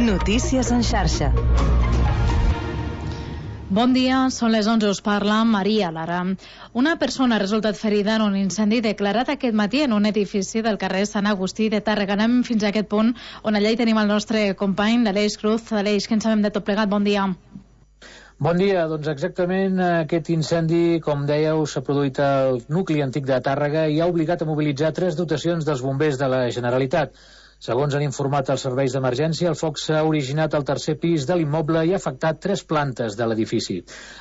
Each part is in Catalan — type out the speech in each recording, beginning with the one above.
Notícies en xarxa. Bon dia, són les 11, us parla Maria Lara. Una persona ha resultat ferida en un incendi declarat aquest matí en un edifici del carrer Sant Agustí de Tàrrega. Anem fins a aquest punt on allà hi tenim el nostre company, l'Aleix Cruz. Aleix, què en sabem de tot plegat? Bon dia. Bon dia, doncs exactament aquest incendi, com dèieu, s'ha produït al nucli antic de Tàrrega i ha obligat a mobilitzar 3 dotacions dels bombers de la Generalitat. Segons han informat els serveis d'emergència, el foc s'ha originat al 3è pis de l'immoble i ha afectat 3 plantes de l'edifici.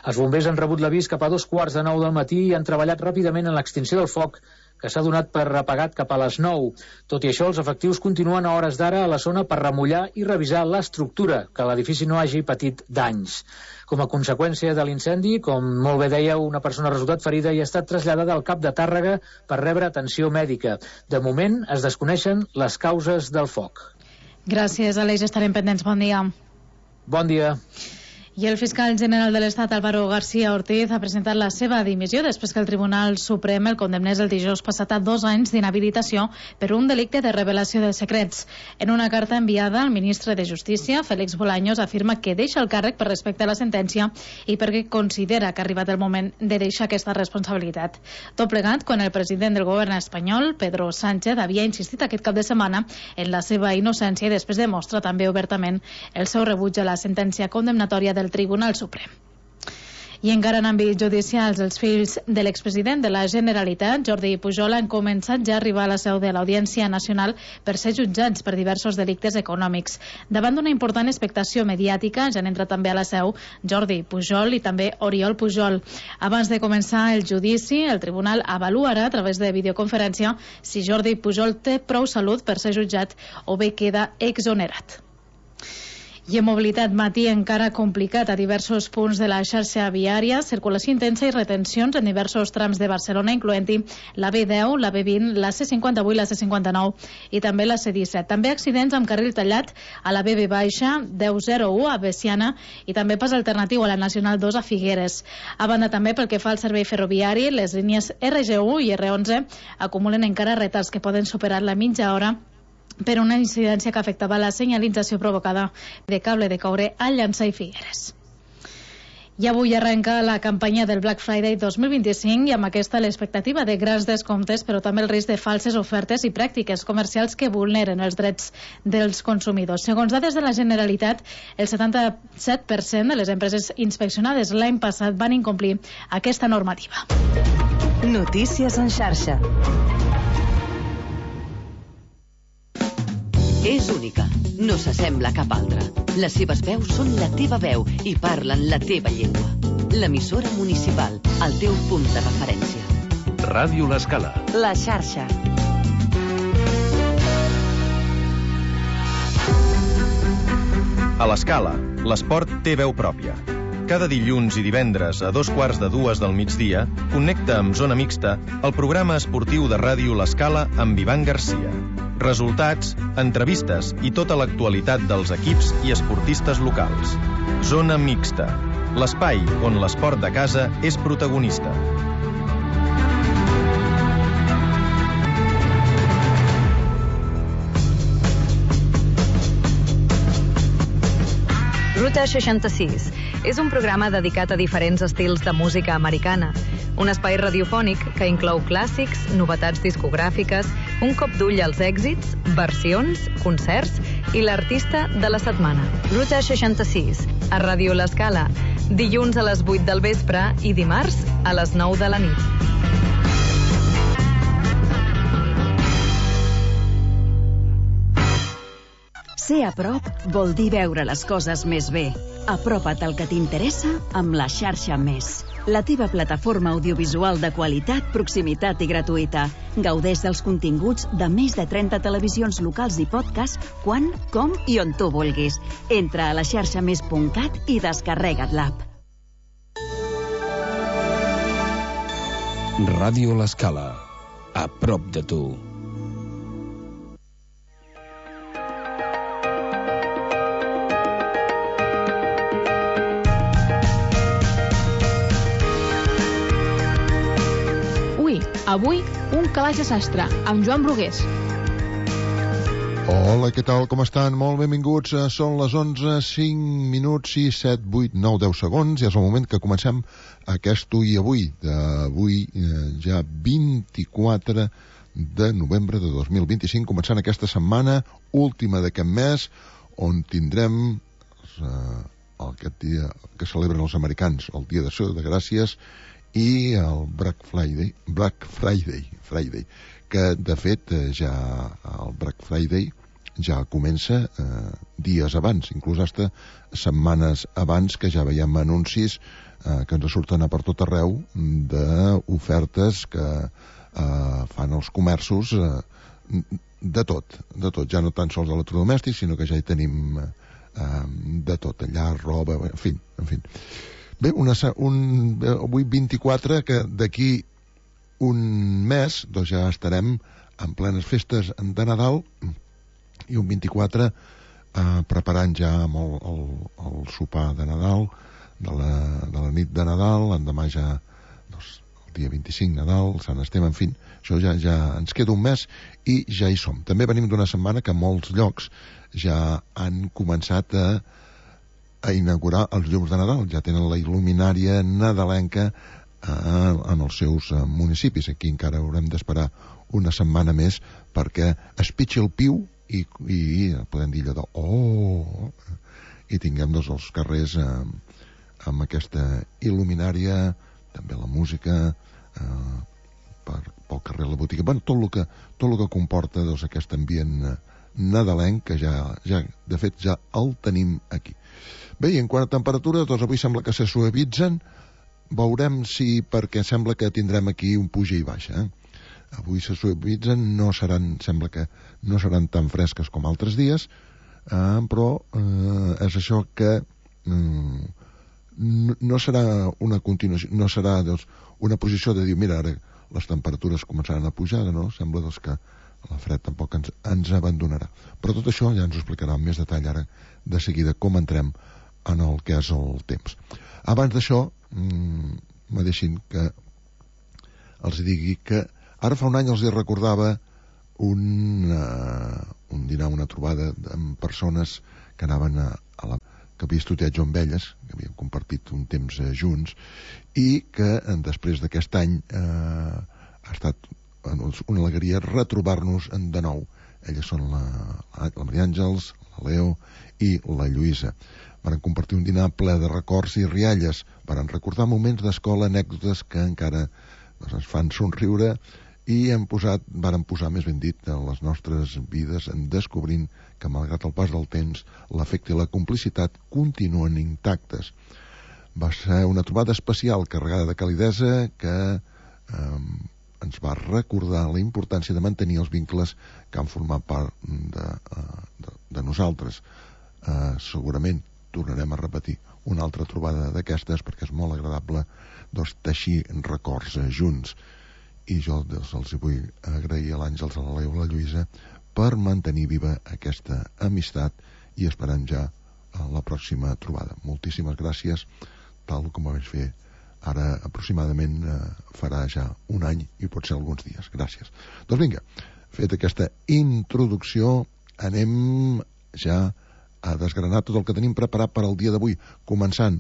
Els bombers han rebut l'avís cap a 2:15 del matí i han treballat ràpidament en l'extinció del foc, que s'ha donat per apagat cap a les 9. Tot i això, els efectius continuen a hores d'ara a la zona per remullar i revisar l'estructura, que l'edifici no hagi patit danys. Com a conseqüència de l'incendi, com molt bé dèieu, una persona ha resultat ferida i ha estat traslladada al CAP de Tàrrega per rebre atenció mèdica. De moment, es desconeixen les causes del foc. Gràcies, Aleix. Estarem pendents. Bon dia. Bon dia. I el fiscal general de l'Estat, Álvaro García Ortiz, ha presentat la seva dimissió després que el Tribunal Suprem el condemnés el dijous passat a 2 anys d'inhabilitació per un delicte de revelació de secrets. En una carta enviada, el ministre de Justícia, Félix Bolaños, afirma que deixa el càrrec per respecte a la sentència i perquè considera que ha arribat el moment de deixar aquesta responsabilitat. Tot plegat, quan el president del govern espanyol, Pedro Sánchez, havia insistit aquest cap de setmana en la seva innocència i després demostra també obertament el seu rebuig a la sentència condemnatòria del Tribunal Suprem. I encara en àmbits judicials, els fills de l'expresident de la Generalitat, Jordi Pujol, han començat ja a arribar a la seu de l'Audiència Nacional per ser jutjats per diversos delictes econòmics. Davant d'una important expectació mediàtica, ja han entrat també a la seu Jordi Pujol i també Oriol Pujol. Abans de començar el judici, el tribunal avaluarà a través de videoconferència si Jordi Pujol té prou salut per ser jutjat o bé queda exonerat. I en mobilitat, matí encara complicat a diversos punts de la xarxa viària, circulació intensa i retencions en diversos trams de Barcelona, incloent-hi la B10, la B20, la C58, la C59 i també la C17. També accidents amb carril tallat a la BB baixa, 1001 a Bessiana i també pas alternatiu a la Nacional 2 a Figueres. A banda també pel que fa al servei ferroviari, les línies RG1 i R11 acumulen encara retards que poden superar la mitja hora per una incidència que afectava la senyalització provocada de cable de coure a Llançà i Figueres. I avui arrenca la campanya del Black Friday 2025 i amb aquesta l'expectativa de grans descomptes, però també el risc de falses ofertes i pràctiques comercials que vulneren els drets dels consumidors. Segons dades de la Generalitat, el 77% de les empreses inspeccionades l'any passat van incomplir aquesta normativa. Notícies en xarxa. És única, no s'assembla a cap altra. Les seves veus són la teva veu i parlen la teva llengua. L'emissora municipal, el teu punt de referència. Ràdio L'Escala. La xarxa. A l'Escala, l'esport té veu pròpia. Cada dilluns i divendres a 2:15 del migdia, connecta amb Zona Mixta el programa esportiu de ràdio L'Escala amb Ivan Garcia. Resultats, entrevistes i tota l'actualitat dels equips i esportistes locals. Zona Mixta, l'espai on l'esport de casa és protagonista. Ruta 66 és un programa dedicat a diferents estils de música americana. Un espai radiofònic que inclou clàssics, novetats discogràfiques, un cop d'ull als èxits, versions, concerts i l'artista de la setmana. Ruta 66, a Ràdio L'Escala, dilluns a les 8 del vespre i dimarts a les 9 de la nit. Ser a prop vol dir veure les coses més bé. Apropa't al que t'interessa amb la xarxa Més. La teva plataforma audiovisual de qualitat, proximitat i gratuïta. Gaudeix dels continguts de més de 30 televisions locals i podcast quan, com i on tu vulguis. Entra a la xarxamés.cat i descarrega't l'app. Ràdio L'Escala. A prop de tu. Avui, un calaix de sastre, amb Joan Brugués. Hola, què tal, com estan? Molt benvinguts. Són les 11, 5 minuts, 6, 7, 8, 9, 10 segons. Ja és el moment que comencem aquest Ui Avui, d'avui ja 24 de novembre de 2025, començant aquesta setmana última d'aquest mes, on tindrem aquest dia que celebren els americans, el Dia d'Acció de Gràcies, i el Black Friday, que de fet ja el Black Friday ja comença dies abans, inclús hasta setmanes abans, que ja veiem anuncis que ens surten a per tot arreu d'ofertes que fan els comerços de tot, ja no tan sols d'electrodomèstics, sinó que ja hi tenim de tot, allà, roba, en fi. Bé, avui 24, que d'aquí un mes doncs ja estarem en plenes festes de Nadal, i un 24 preparant ja el sopar de Nadal, de la nit de Nadal, l'endemà ja doncs, el dia 25 Nadal, Sant Esteve, en fi, això ja ens queda un mes i ja hi som. També venim d'una setmana que molts llocs ja han començat a inaugurar els llums de Nadal, ja tenen la il·luminària nadalenca en els seus municipis. Aquí encara haurem d'esperar una setmana més perquè es pitxi el piu i podem dir allò de i tinguem doncs els carrers amb aquesta il·luminària, també la música pel carrer, la botiga, tot el que comporta doncs aquest ambient nadalenc que ja de fet ja el tenim aquí. Bé, i en quant a temperatures, doncs avui sembla que se suavitzen, veurem si, perquè sembla que tindrem aquí un puja i baixa, avui se suavitzen, sembla que no seran tan fresques com altres dies, però és això que no serà una continuació, no serà doncs, una posició de dir, mira, ara les temperatures començaran a pujar, no? Sembla doncs, que la fred tampoc ens abandonarà. Però tot això ja ens ho explicarà amb més detall ara de seguida com entrem en el que és el temps. Abans d'això, me deixin que els digui que ara fa un any els recordava un dinar, una trobada amb persones que anaven que havia estudiat jo amb elles, que havíem compartit un temps junts, i que després d'aquest any ha estat una alegria retrobar-nos de nou. Elles són la Maria Àngels, la Leo i la Lluïsa. Varen compartir un dinar ple de records i rialles, varen recordar moments d'escola, anècdotes que encara ens fan somriure, i varen posar, més ben dit, les nostres vides en descobrint que, malgrat el pas del temps, l'afecte i la complicitat continuen intactes. Va ser una trobada especial, carregada de calidesa, que ens va recordar la importància de mantenir els vincles que han format part de nosaltres. Segurament tornarem a repetir una altra trobada d'aquestes, perquè és molt agradable teixir records junts. I jo els vull agrair a l'Àngels, a la Leo i a la Lluïsa per mantenir viva aquesta amistat, i esperem ja la pròxima trobada. Moltíssimes gràcies, tal com ho vaig fer ara aproximadament farà ja un any i pot ser alguns dies. Gràcies. Doncs vinga, fet aquesta introducció, anem ja a desgranar tot el que tenim preparat per al dia d'avui, començant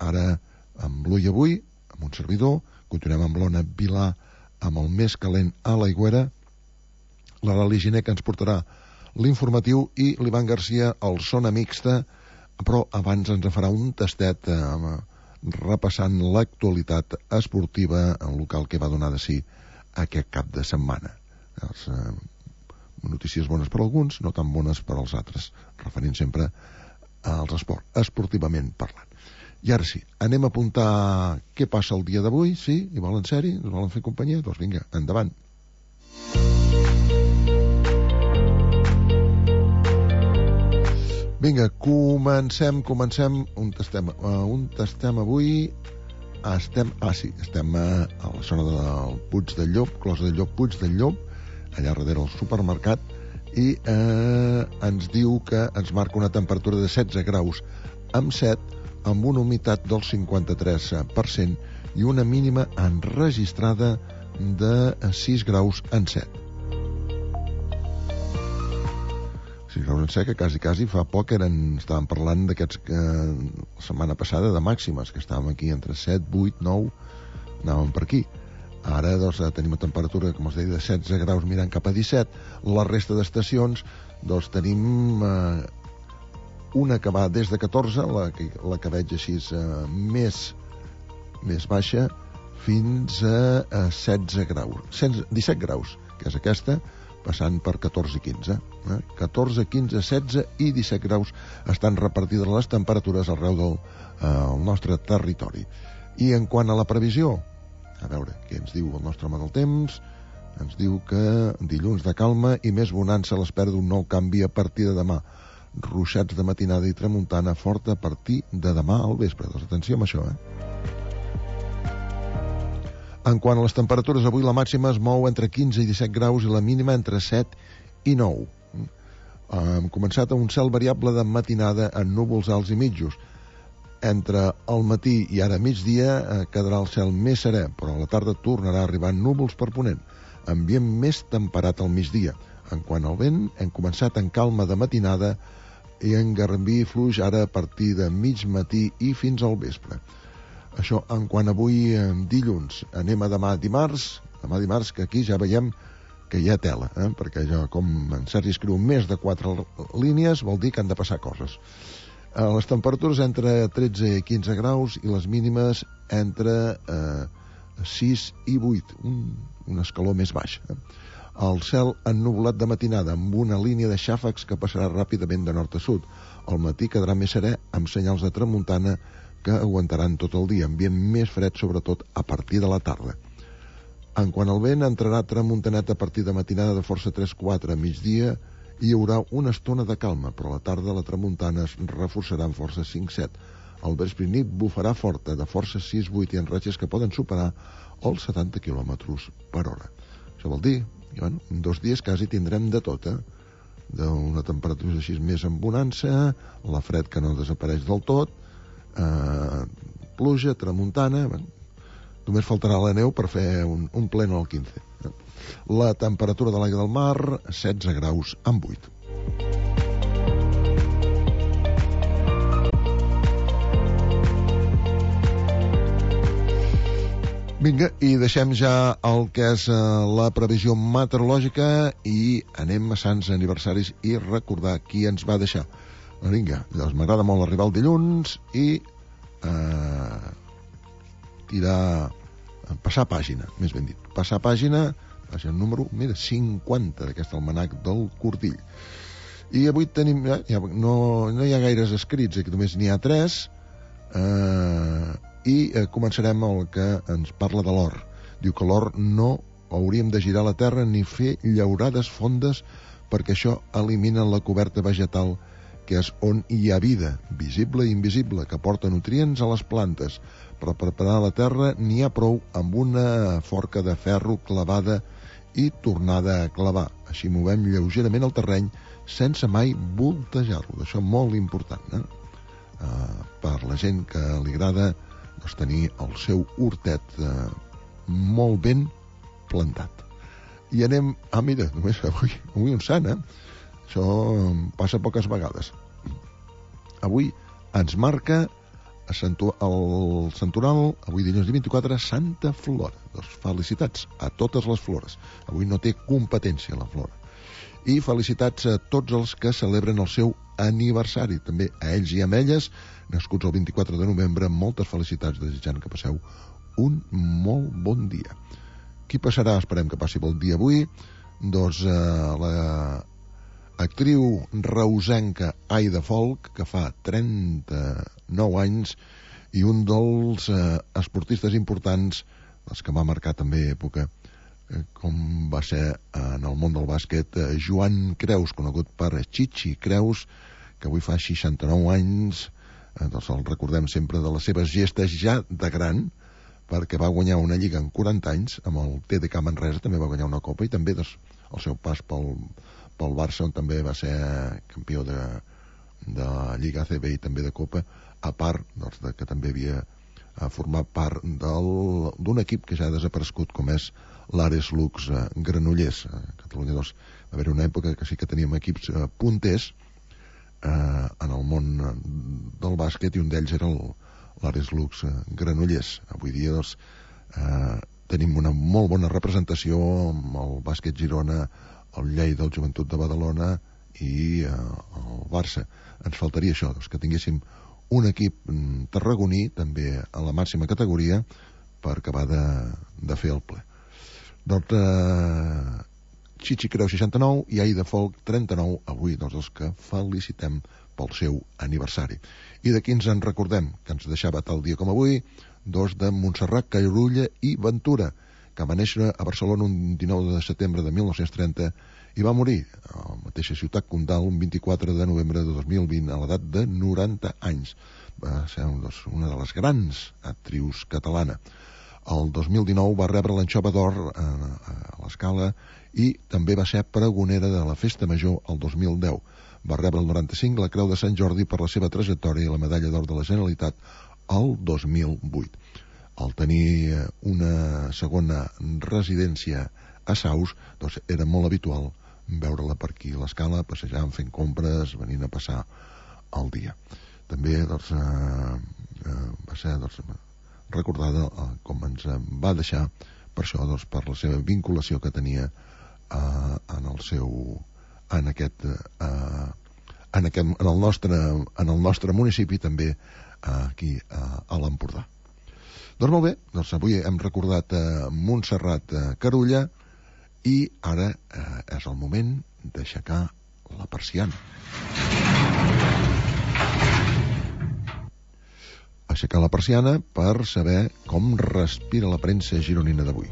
ara amb l'Ui Avui, amb un servidor, continuem amb l'Ona Vilà, amb el més calent a l'Aigüera, la Lali Giner, que ens portarà l'informatiu, i l'Ivan Garcia, el Zona Mixta, però abans ens farà un tastet repassant l'actualitat esportiva en local que va donar de si aquest cap de setmana. Notícies bones per alguns, no tan bones per als altres, referint sempre als esports, esportivament parlant. I ara sí, anem a apuntar què passa el dia d'avui, sí? I volen ser-hi? Ens volen fer companyia? Doncs vinga, endavant. Vinga, comencem. On estem avui? Estem a la zona del Puig del Llop, Closa del Llop, Puig del Llop, allà darrere del supermercat, i ens diu que ens marca una temperatura de 16 graus amb 7, amb una humitat del 53% i una mínima enregistrada de 6 graus en 7. 6 graus en sec, que quasi fa poc estàvem parlant d'aquests que la setmana passada de màximes, que estàvem aquí entre 7, 8, 9, anàvem per aquí. Ara doncs, tenim una temperatura, com us deia, de 16 graus mirant cap a 17. La resta d'estacions doncs, tenim una que va des de 14, la que veig així més baixa, fins a 16 graus, 17 graus, que és aquesta, passant per 14 i 15. 14, 15, 16 i 17 graus estan repartides les temperatures arreu del nostre territori. I en quant a la previsió, a veure què ens diu el nostre home del temps, ens diu que dilluns de calma i més bonança a l'espera d'un nou canvi a partir de demà. Ruixats de matinada i tramuntana forta a partir de demà al vespre. Doncs atenció amb això, En quant a les temperatures, avui la màxima es mou entre 15 i 17 graus i la mínima entre 7 i 9. Hem començat amb un cel variable de matinada en núvols alts i mitjos. Entre el matí i ara migdia quedarà el cel més serè, però a la tarda tornarà a arribar núvols per ponent, ambient més temperat al migdia. En quant al vent, hem començat en calma de matinada i en garbí fluix ara a partir de mig matí i fins al vespre. Això en quant avui dilluns. Anem a demà dimarts, que aquí ja veiem que hi ha tela, perquè jo, com en Sergi escriu més de 4 línies, vol dir que han de passar coses. Les temperatures entre 13 i 15 graus i les mínimes entre 6 i 8, un escaló més baix. El cel ennuvolat de matinada amb una línia de xàfecs que passarà ràpidament de nord a sud. Al matí quedarà més serè amb senyals de tramuntana que aguantaran tot el dia, ambient més fred sobretot a partir de la tarda. En quant al vent, entrarà tramuntanet a partir de matinada de força 3-4 a migdia i hi haurà una estona de calma, però a la tarda la tramuntana es reforçarà en força 5-7. Al vespre i nit bufarà forta de força 6-8 i en ratxes que poden superar els 70 km per hora. Això vol dir que en 2 dies quasi tindrem de tot, d'una temperatura així més en bonança, la fred que no desapareix del tot, pluja, tramuntana, només faltarà la neu per fer un pleno al 15. La temperatura de l'aigua del mar, 16 graus amb 8. Vinga, i deixem ja el que és la previsió meteorològica i anem a Sants aniversaris i recordar qui ens va deixar. Vinga, doncs m'agrada molt arribar el dilluns i passar pàgina, més ben dit. Passar pàgina número, mira, 50 d'aquest almanac del Cordill. I avui tenim, no hi ha gaires escrits, que només n'hi ha 3, i començarem el que ens parla de l'or. Diu que l'or no hauríem de girar la terra ni fer llaurades fondes perquè això elimina la coberta vegetal que és on hi ha vida, visible i invisible, que porta nutrients a les plantes. Per preparar la terra n'hi ha prou amb una forca de ferro clavada i tornada a clavar. Així movem lleugerament el terreny sense mai voltejar-lo. Això és molt important, per la gent que li agrada tenir el seu hortet molt ben plantat. I anem... mira, només avui un sant, Això passa poques vegades. Avui ens marca el santoral, avui dilluns 24, Santa Flora. Doncs felicitats a totes les flores. Avui no té competència la flora. I felicitats a tots els que celebren el seu aniversari. També a ells i a elles, nascuts el 24 de novembre, moltes felicitats, desitjant que passeu un molt bon dia. Qui passarà? Esperem que passi bon dia avui. Doncs la actriu reusenca Aida Folk, que fa 39 anys, i un dels esportistes importants, els que va marcar també època, com va ser en el món del bàsquet, Joan Creus, conegut per Chichi Creus, que avui fa 69 anys, doncs el recordem sempre de les seves gestes ja de gran, perquè va guanyar una lliga en 40 anys, amb el TDK Manresa també va guanyar una copa, i també doncs, el seu pas pel Barça, on també va ser campió de Lliga ACB i també de Copa, a part doncs, que també havia format part d'un equip que ja ha desaparegut, com és l'Ares Lux Granollers, que Catalunya va haver una època que sí que teníem equips punters en el món del bàsquet, i un d'ells era l'Ares Lux Granollers. Avui dia tenim una molt bona representació amb el bàsquet Girona, el Lleida, el Joventut de Badalona i el Barça. Ens faltaria això, que tinguéssim un equip tarragoní també a la màxima categoria per acabar de fer el ple. Doncs Xixi Creu 69 i Aida Folk 39, avui els que felicitem pel seu aniversari. I d'aquí ens en recordem, que ens deixava tal dia com avui, dos de Montserrat Carulla i Ventura, que va néixer a Barcelona un 19 de setembre de 1930 i va morir a la mateixa ciutat condal un 24 de novembre de 2020 a l'edat de 90 anys. Va ser una de les grans actrius catalana. El 2019 va rebre l'Anxova d'Or a l'Escala i també va ser pregonera de la Festa Major el 2010. Va rebre el 95 la Creu de Sant Jordi per la seva trajectòria i la Medalla d'Or de la Generalitat el 2008. Al tenir una segona residència a Saus, doncs era molt habitual veure-la per aquí a l'Escala, passejant, fent compres, venint a passar el dia. També va ser recordada com ens va deixar, per això, per la seva vinculació que tenia en el nostre municipi, també aquí a l'Empordà. Doncs molt bé, avui hem recordat Montserrat Carulla i ara és el moment d'aixecar la persiana. Aixecar la persiana per saber com respira la premsa gironina d'avui.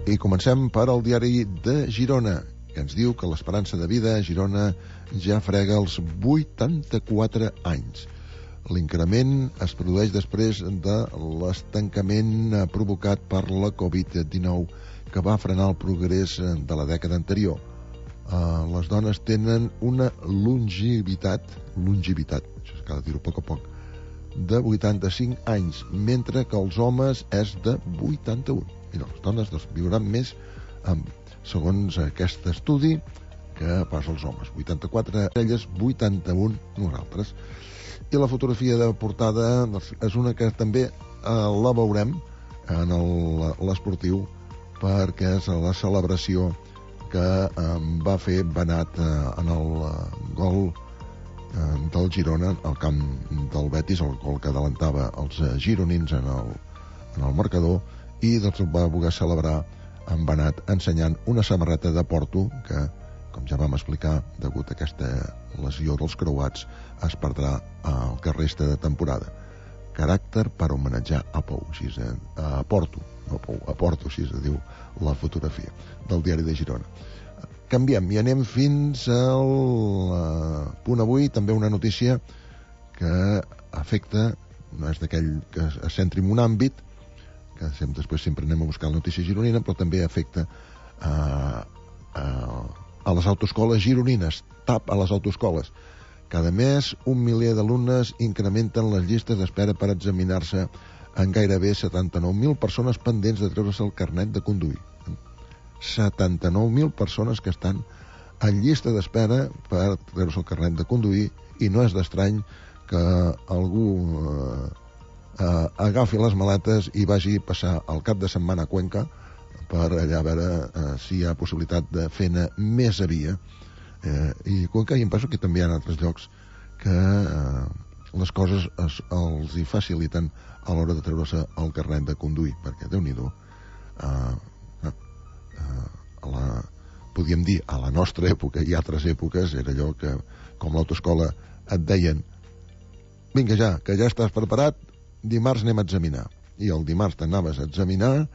I comencem per al diari de Girona, que ens diu que l'esperança de vida a Girona ja frega els 84 anys. L'increment es produeix després de l'estancament provocat per la Covid-19, que va frenar el progrés de la dècada anterior. Les dones tenen una longevitat, això cal dir-ho a poc, de 85 anys, mentre que els homes és de 81. I les dones viuran més, segons aquest estudi, que pas els homes. 84 elles, 81 nosaltres. I la fotografia de portada és una que també la veurem en l'esportiu, perquè és la celebració que va fer Benat en el gol del Girona al camp del Betis, el gol que adelantava els gironins en el marcador, i va voler celebrar en Benat ensenyant una samarreta de Porto que, com ja vam explicar, degut a aquesta lesió dels creuats, es perdrà el que resta de temporada. Caràcter per homenatjar a Pou, a Porto, no Pou, a Porto, així es diu la fotografia del diari de Girona. Canviem i anem fins al punt avui, també una notícia que afecta, no és d'aquell que es centri en un àmbit, que després sempre anem a buscar la notícia gironina, però també afecta a les autoescoles gironines, TAP a les autoescoles. Cada mes 1 miler d'alumnes incrementen les llistes d'espera per examinar-se en gairebé 79.000 persones pendents de treure's el carnet de conduir. 79.000 persones que estan en llista d'espera per treure's el carnet de conduir, i no és d'estrany que algú agafi les maletes i vagi a passar el cap de setmana a Cuenca per allà a veure si hi ha possibilitat de fer-ne més a via. I Cuenca, i em penso que també hi ha altres llocs que les coses els hi faciliten a l'hora de treure's el carnet de conduir, perquè Déu-n'hi-do, podríem dir a la nostra època i altres èpoques era allò que, com l'autoescola et deien: vinga ja, que ja estàs preparat, dimarts anem a examinar. I el dimarts t'anaves a examinar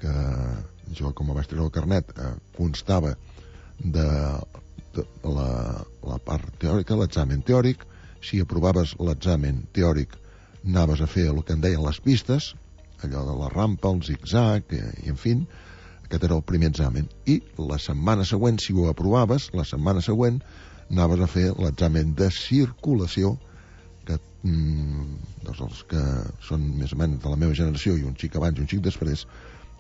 que jo, com vaig treure el carnet, constava de la part teòrica, l'examen teòric. Si aprovaves l'examen teòric, anaves a fer el que en deien les pistes, allò de la rampa, el zig-zag, i en fi, aquest era el primer examen. I la setmana següent, si ho aprovaves, la setmana següent anaves a fer l'examen de circulació, que doncs els que són més o menys de la meva generació i un xic abans i un xic després,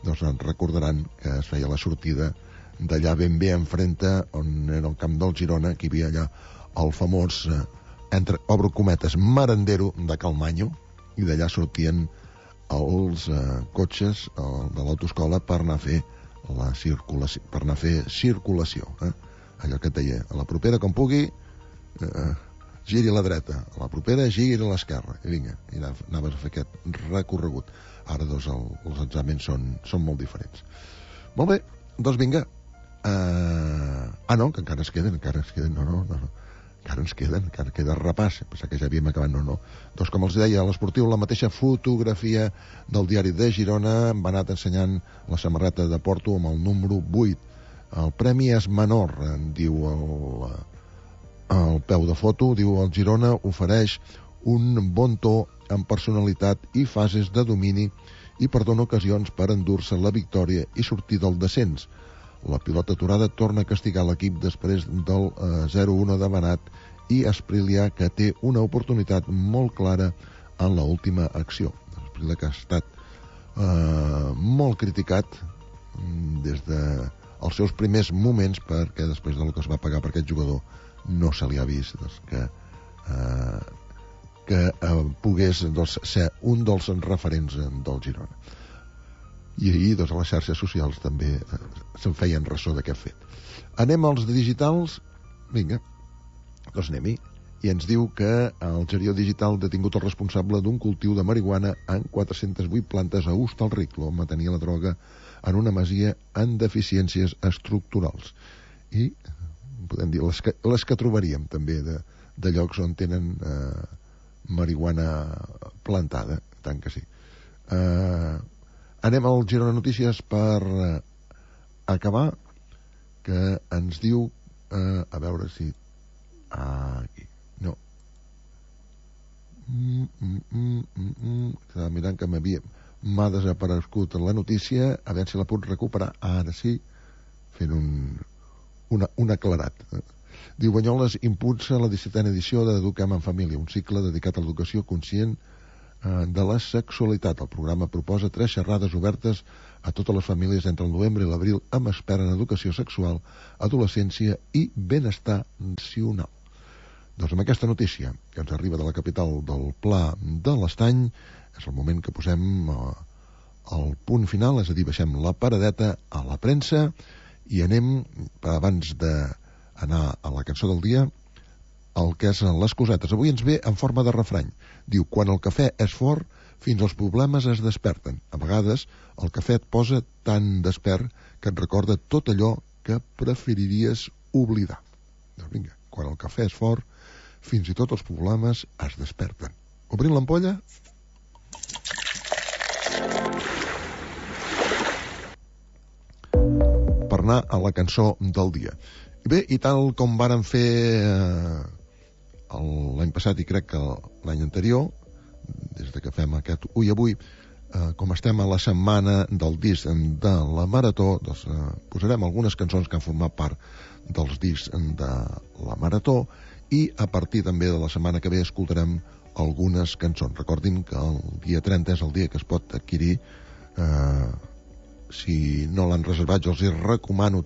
doncs recordaran que es feia la sortida d'allà ben bé enfrente on era el camp del Girona, que hi havia allà el famós, entre obro cometes, merendero de Calmanyo, i d'allà sortien els cotxes de l'autoescola per anar a fer la circulació, per anar a fer circulació, allò que et deia, a la propera com pugui giri a la dreta, a la propera giri a l'esquerra, i vinga, i anaves a fer aquest recorregut. Ara doncs els exàmens són molt diferents. Molt bé, doncs vinga. No, que encara ens queden, encara queda repàs, pensava que ja havíem acabat, no. Doncs com els deia, a l'Esportiu, la mateixa fotografia del diari de Girona, va anar ensenyant la samarreta de Porto amb el número 8. El premi és menor, diu el peu de foto, diu el Girona ofereix un bon to amb personalitat i fases de domini i per donar ocasions per endur-se la victòria i sortir del descens. La pilota aturada torna a castigar l'equip després del 0-1 de Benat i Esprilia, que té una oportunitat molt clara en l'última acció. Esprilia, que ha estat molt criticat des dels seus primers moments, perquè després del que es va pagar per aquest jugador no se li ha vist que pogués ser un dels referents del Girona. I ahir a les xarxes socials també se'n feien ressò d'aquest fet. Anem als digitals. Vinga, doncs anem-hi. I ens diu que el Gerió Digital ha detingut el responsable d'un cultiu de marihuana en 408 plantes a Hostalric. L'home tenia la droga en una masia amb deficiències estructurals. I podem dir les que trobaríem també de llocs on tenen marihuana plantada, tant que sí. Anem al Girona Notícies per acabar, que ens diu a veure si aquí, no estava mirant que m'ha desaparegut la notícia, a veure si la puc recuperar ara sí, fent un aclarat. Diu, Banyoles impulsa la 17a edició d'Eduquem en Família, un cicle dedicat a l'educació conscient de la sexualitat. El programa proposa 3 xerrades obertes a totes les famílies entre el novembre i l'abril amb expert en educació sexual, adolescència i benestar nacional. Doncs amb aquesta notícia que ens arriba de la capital del Pla de l'Estany és el moment que posem el punt final, és a dir, baixem la paradeta a la premsa i anem, abans d'anar a la cançó del dia, el que és les cosetes. Avui ens ve en forma de refrany. Diu, quan el cafè és fort, fins els problemes es desperten. A vegades, el cafè et posa tan despert que et recorda tot allò que preferiries oblidar. Doncs vinga, quan el cafè és fort, fins i tot els problemes es desperten. Obrim l'ampolla. Per anar a la cançó del dia. Bé, i tal com varen fer l'any passat i crec que l'any anterior, des que fem aquest Ui Avui, com estem a la setmana del disc de la Marató, doncs posarem algunes cançons que han format part dels discs de la Marató i a partir també de la setmana que ve escoltarem algunes cançons. Recordin que el dia 30 és el dia que es pot adquirir. Si no l'han reservat, jo els hi recomano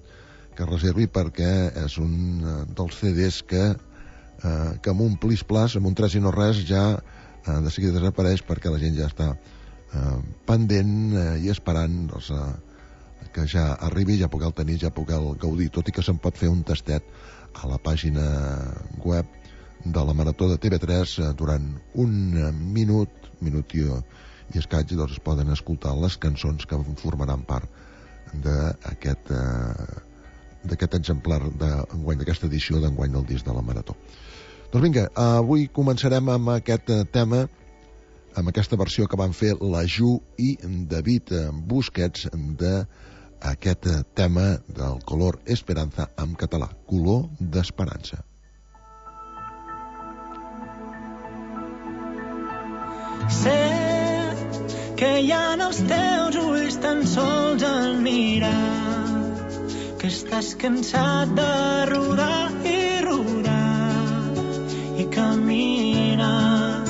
que reservi, perquè és un dels CDs que amb un plis-plas, amb un tres i no res, ja de seguida desapareix, perquè la gent ja està pendent i esperant que ja arribi, ja poder el tenir, ja poder el gaudir, tot i que se'n pot fer un tastet a la pàgina web de la Marató de TV3 durant un minut i escaig, doncs es poden escoltar les cançons que formaran part d'aquest exemplar d'enguany, d'aquesta edició d'enguany del disc de la Marató. Doncs vinga, avui començarem amb aquest tema, amb aquesta versió que van fer la Ju i David Busquets d'aquest tema del Color Esperanza en català, Color d'Esperança. Sé que hi ha en els teus ulls tan sols al mirar, que estàs cansat de rodar i rodar i caminar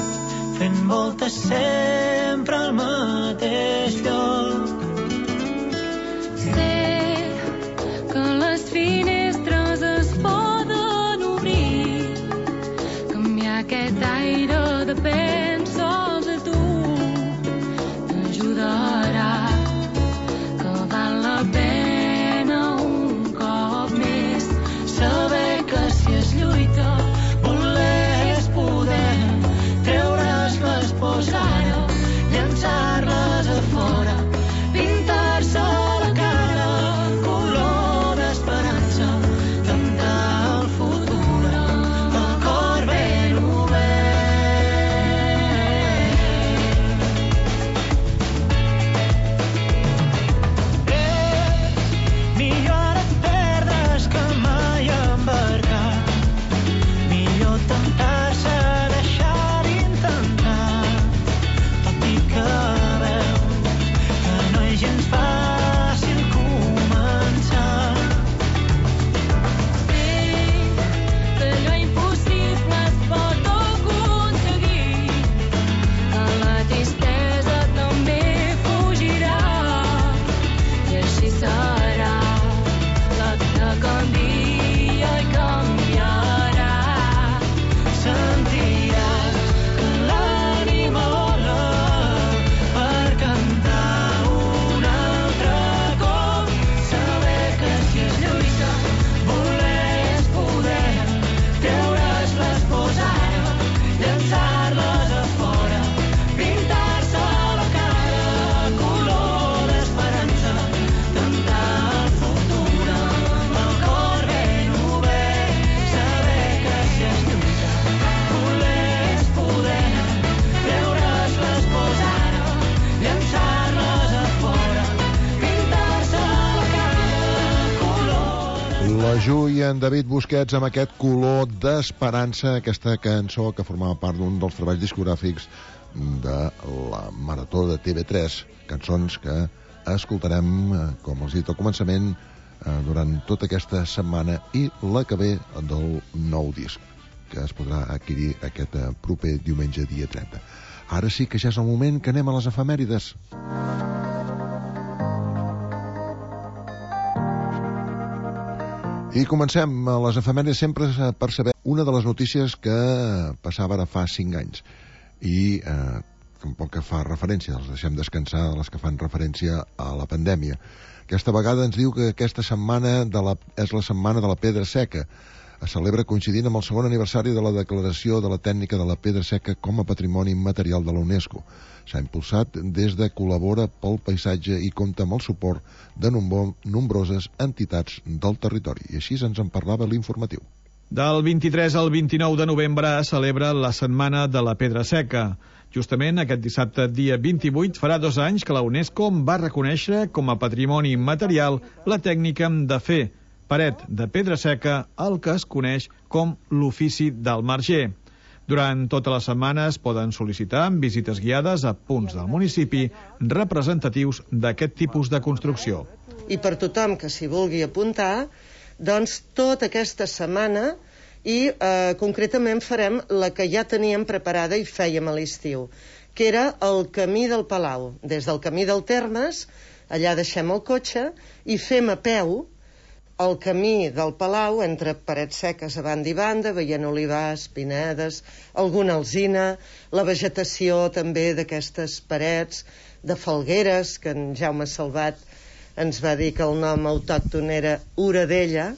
fent voltes sempre al mateix lloc. Sé que les finestres es poden obrir, canviar aquest aire depèn sols de tu, t'ajudarà, que val la pena un cop més saber que si es lluita voler és poder, treure's les pors ara, llançar-les a fora, pintar-se la cara color d'esperança, cantar el futur amb el cor ben obert. Millor ara et perdre's que mai embarcar, millor temptar-se a deixar d'intentar, tot i que veus que no és gens fàcil començar. Sé que allò impossible es pot aconseguir, que la tristesa també fugirà, i així serà la que canvia i canviarà. Sentiràs que l'ànima vola per cantar un altre cop, saber que si es lluita voler és poder, treure's les pors ara, llançar-les a fora, pintar-se la cara color d'esperança, cantar el futur amb el cor ben obert, saber que si es lluita voler és poder, treure's les pors ara, llançar-les a fora, pintar-se la cara color. La Ju i en David Busquets amb aquest color d'esperança, aquesta cançó que formava part d'un dels treballs discogràfics de la Marató de TV3, cançons que escoltarem, com els he dit al començament, durant tota aquesta setmana i la que ve del nou disc, que es podrà adquirir aquest proper diumenge, dia 30. Ara sí que ja és el moment que anem a les efemèrides. I comencem a les efemèrides sempre per saber una de les notícies que passava ara fa 5 anys. I tampoc que fa referència, els deixem descansar de les que fan referència a la pandèmia. Aquesta vegada ens diu que aquesta setmana és la setmana de la pedra seca. Es celebra coincidint amb el segon aniversari de la declaració de la tècnica de la pedra seca com a patrimoni immaterial de la UNESCO. S'ha impulsat des de Col·labora pel Paisatge i compta amb el suport de nombroses entitats del territori. I així ens en parlava l'informatiu. Del 23 al 29 de novembre es celebra la Setmana de la Pedra Seca. Justament aquest dissabte, dia 28, farà 2 anys que la UNESCO va reconèixer com a patrimoni immaterial la tècnica de fer paret de pedra seca, el que es coneix com l'ofici del marger. Durant tota la setmana es poden sol·licitar visites guiades a punts del municipi representatius d'aquest tipus de construcció. I per tothom que s'hi vulgui apuntar, doncs tota aquesta setmana i concretament farem la que ja teníem preparada i fèiem a l'estiu, que era el Camí del Palau. Des del Camí del Termes, allà deixem el cotxe i fem a peu el camí del Palau entre parets seques a banda i banda, veient olivars, pinedes, alguna alzina, la vegetació també d'aquestes parets, de falgueres, que en Jaume Salvat ens va dir que el nom autòcton era Oradella,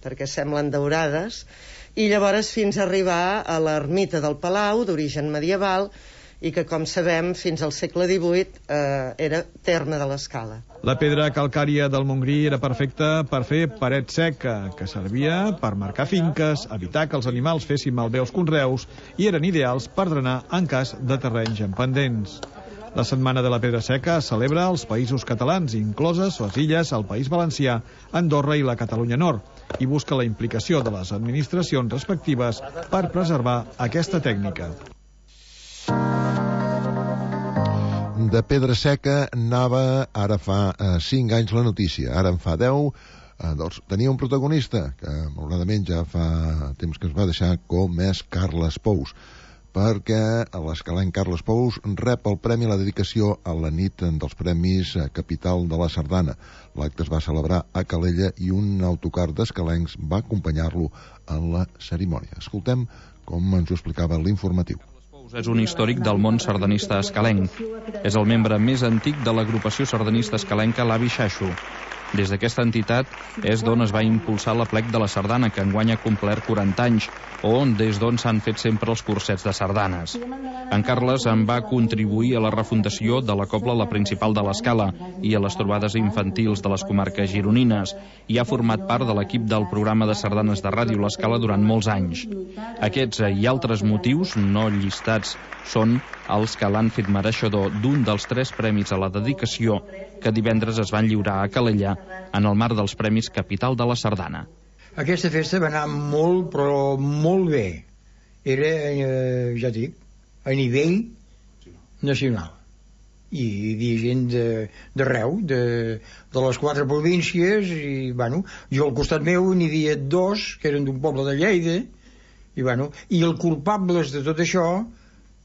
perquè semblen daurades, i llavors fins a arribar a l'ermita del Palau, d'origen medieval, i que, com sabem, fins al segle XVIII era terme de l'Escala. La pedra calcària del Montgrí era perfecta per fer paret seca, que servia per marcar finques, evitar que els animals fessin malbé els conreus i eren ideals per drenar en cas de terrenys en pendents. La Setmana de la Pedra Seca es celebra als països catalans, incloses les illes, el País Valencià, Andorra i la Catalunya Nord, i busca la implicació de les administracions respectives per preservar aquesta tècnica. De pedra seca anava ara fa 5 anys la notícia, ara en fa 10. Doncs tenia un protagonista que malauradament ja fa temps que es va deixar, com és Carles Pous. perquè l'escalenc Carles Pous rep el premi a la dedicació a la nit dels Premis Capital de la Sardana. L'acte es va celebrar a Calella i un autocar d'escalencs va acompanyar-lo en la cerimònia. Escoltem com ens ho explicava l'informatiu. És un històric del món sardanista escalenc. És el membre més antic de l'agrupació sardanista escalenca l'Avi Xaixo. Des d'aquesta entitat és d'on es va impulsar l'aplec de la sardana, que enguany ha complert 40 anys, des d'on s'han fet sempre els cursets de sardanes. En Carles en va contribuir a la refundació de la cobla La Principal de l'Escala i a les trobades infantils de les comarques gironines, i ha format part de l'equip del programa de sardanes de ràdio l'Escala durant molts anys. Aquests i altres motius no llistats són els que l'han fet mereixedor d'un dels 3 premis a la dedicació que divendres es van lliurar a Calella en el marc dels Premis Capital de la Sardana. Aquesta festa va anar molt, però molt bé. Era, ja dic, a nivell nacional. I hi havia gent d'arreu, de les 4 províncies, i, bueno, jo al costat meu n'hi havia 2, que eren d'un poble de Lleida, i, bueno, i els culpables de tot això,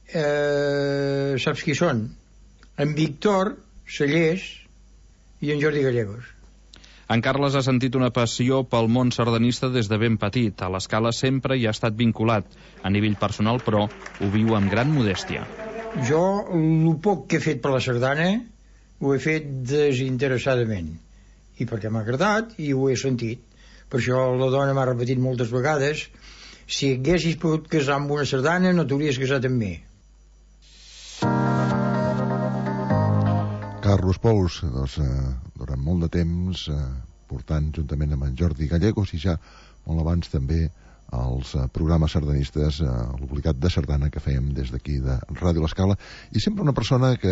saps qui són? En Víctor Cellers i en Jordi Gallegos. En Carles ha sentit una passió pel món sardanista des de ben petit. A l'Escala sempre hi ha estat vinculat. A nivell personal, però, ho viu amb gran modèstia. Jo, el poc que he fet per la sardana, ho he fet desinteressadament. I perquè m'ha agradat i ho he sentit. Per això la dona m'ha repetit moltes vegades: si haguessis pogut casar amb una sardana, no t'hauries casat amb mi. Carles Pous, doncs, durant molt de temps, portant juntament amb en Jordi Gallegos i ja molt abans també els programes sardanistes, l'obligat de sardana que fèiem des d'aquí de Ràdio l'Escala, i sempre una persona que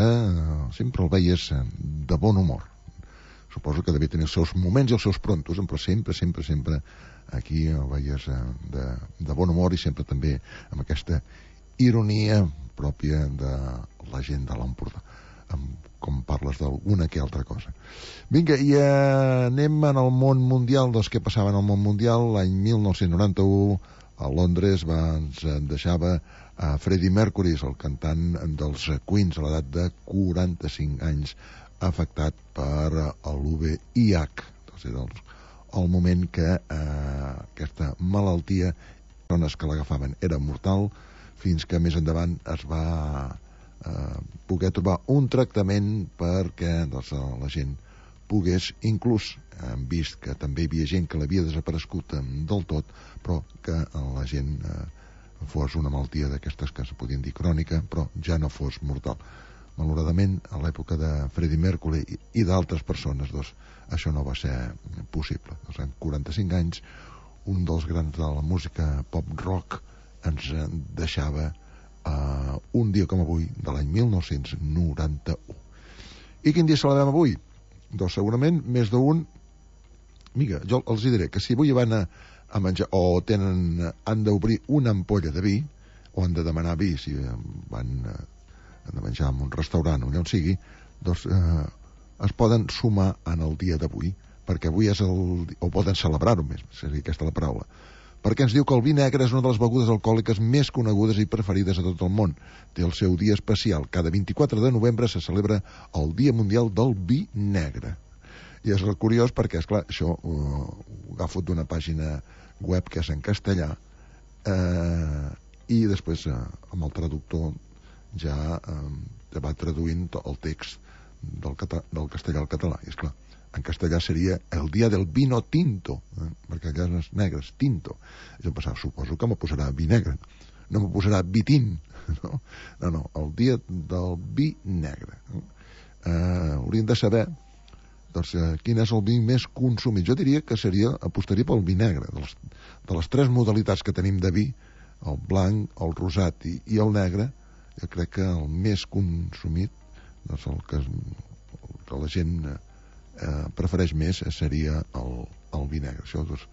sempre el veies de bon humor. Suposo que devia tenir els seus moments i els seus prontos, però sempre aquí el veies de bon humor i sempre també amb aquesta ironia pròpia de la gent de l'Empordà, com parles d'alguna que altra cosa. Vinga, i anem en el món mundial. Doncs què passava en el món mundial? L'any 1991 a Londres ens deixava a Freddie Mercury, el cantant dels Queens, a l'edat de 45 anys, afectat per l'UVIH. Doncs era el moment que aquesta malaltia, les persones que l'agafaven era mortal, fins que més endavant es va poder trobar un tractament perquè doncs, la gent pogués, inclús hem vist que també hi havia gent que l'havia desaparegut del tot, però que la gent fos una malaltia d'aquestes que es podien dir crònica, però ja no fos mortal. Malauradament, a l'època de Freddie Mercury i d'altres persones, doncs, això no va ser possible. Doncs, en 45 anys, un dels grans de la música pop-rock ens deixava un dia com avui, de l'any 1991. I quin dia celebrem avui? Doncs segurament més d'un. Mira, jo els diré que si avui van a menjar o han d'obrir una ampolla de vi, o han de demanar vi si van de menjar en un restaurant o allà on sigui, doncs es poden sumar en el dia d'avui, perquè avui és o poden celebrar-ho més, seria aquesta la paraula, perquè ens diu que el vi negre és una de les begudes alcohòliques més conegudes i preferides a tot el món. Té el seu dia especial. Cada 24 de novembre se celebra el Dia Mundial del Vi Negre. I és curiós perquè, esclar, això ho agafo d'una pàgina web que és en castellà, i després amb el traductor ja va traduint el text del castellà al català. I esclar, en castellà seria el dia del vino tinto, perquè allà és negres, tinto. Jo pensava, suposo que me posarà vi negre, no me posarà vi tint, no, el dia del vi negre. Hauríem de saber doncs, quin és el vi més consumit. Jo diria que apostaria pel vi negre. De les 3 modalitats que tenim de vi, el blanc, el rosat i el negre, jo crec que el més consumit, doncs el que la gent prefereix més seria el vi negre. Això doncs,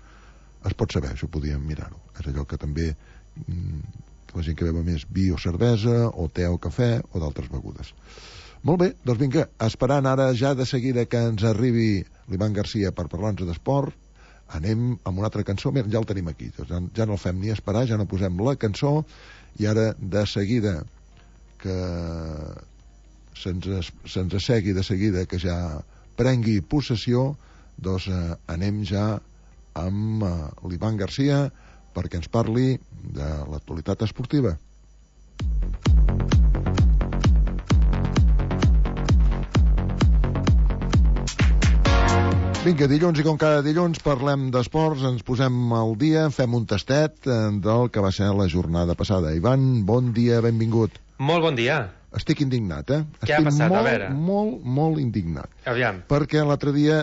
es pot saber, això podíem mirar-ho. És allò que també la gent que beu més vi o cervesa o te o cafè o d'altres begudes. Molt bé, doncs vinga, esperant ara ja de seguida que ens arribi l'Ivan Garcia per parlar-nos d'esport, anem amb una altra cançó. Mira, ja el tenim aquí, ja no el fem ni esperar, ja no posem la cançó, i ara de seguida que se'ns assegui de seguida, que ja prengui possessió, doncs anem ja amb l'Ivan Garcia perquè ens parli de l'actualitat esportiva. Vinga, dilluns, i com cada dilluns parlem d'esports, ens posem al dia, fem un tastet del que va ser la jornada passada. Ivan, bon dia, benvingut. Molt bon dia. Estic indignat, Què ha passat? A veure. Molt indignat. Aviam. Perquè l'altre dia,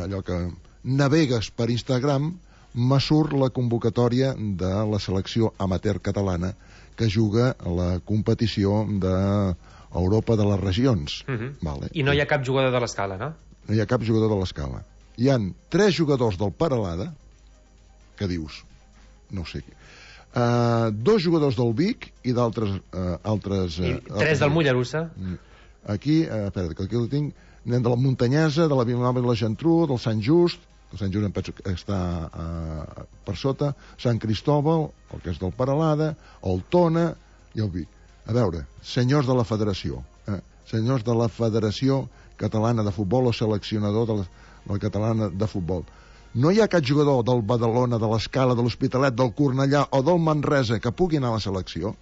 allò que navegues per Instagram, me surt la convocatòria de la selecció amateur catalana que juga a la competició d'Europa de les regions. Vale. I no hi ha cap jugador de l'Escala, no? No hi ha cap jugador de l'Escala. Hi han 3 jugadors del Peralada, que dius, no ho sé, 2 jugadors del Vic i d'altres... I 3 del Mollerussa. Aquí, espera, que aquí ho tinc, anem de la Muntanyesa, de la Vilanova i la Geltrú, del Sant Just, el Sant Just em penso que està per sota, Sant Cristòbal, el que és del Peralada, el Tona i el Vic. A veure, senyors de la federació, senyors de la Federació Catalana de Futbol o seleccionador de la Catalana de Futbol, no hi ha cap jugador del Badalona, de l'Escala, de l'Hospitalet, del Cornellà o del Manresa que pugui anar a la selecció?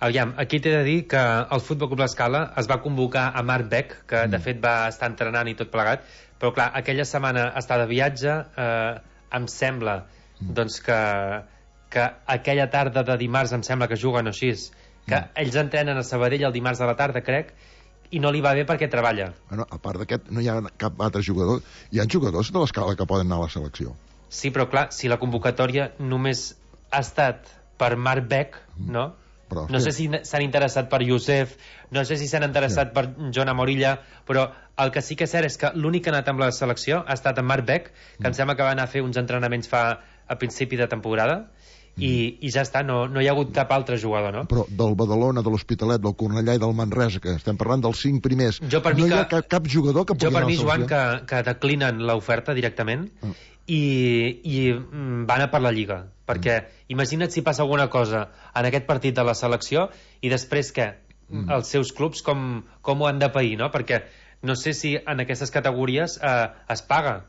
Aviam, aquí t'he de dir que el Futbol Club L'Escala es va convocar a Marc Beck, que de fet va estar entrenant i tot plegat, però clar, aquella setmana està de viatge, em sembla doncs que aquella tarda de dimarts em sembla que juguen així, que ells entrenen a Sabadell el dimarts de la tarda, crec, i no li va bé perquè treballa. Bueno, a part d'aquest, no hi ha cap altre jugador. Hi ha jugadors de l'Escala que poden anar a la selecció. Sí, però clar, si la convocatòria només ha estat per Marc Beck, no? Però, no sé si s'han interessat per Josep, no sé si s'han interessat per Joan Amorilla, però el que sí que és cert és que l'únic que ha anat amb la selecció ha estat en Marc Beck, que em sembla que va anar a fer uns entrenaments a principi de temporada, i ja està, no hi ha hagut cap altre jugador, no? Però del Badalona, de l'Hospitalet, del Cornellà i del Manresa, que estem parlant dels 5 primers, no hi ha cap jugador que pugui anar a la selecció? Jo per mi, Joan, que declinen l'oferta directament i van a per la Lliga, perquè imagina't si passa alguna cosa en aquest partit de la selecció i després què? Els seus clubs com ho han de pair, no? Perquè no sé si en aquestes categories es paga.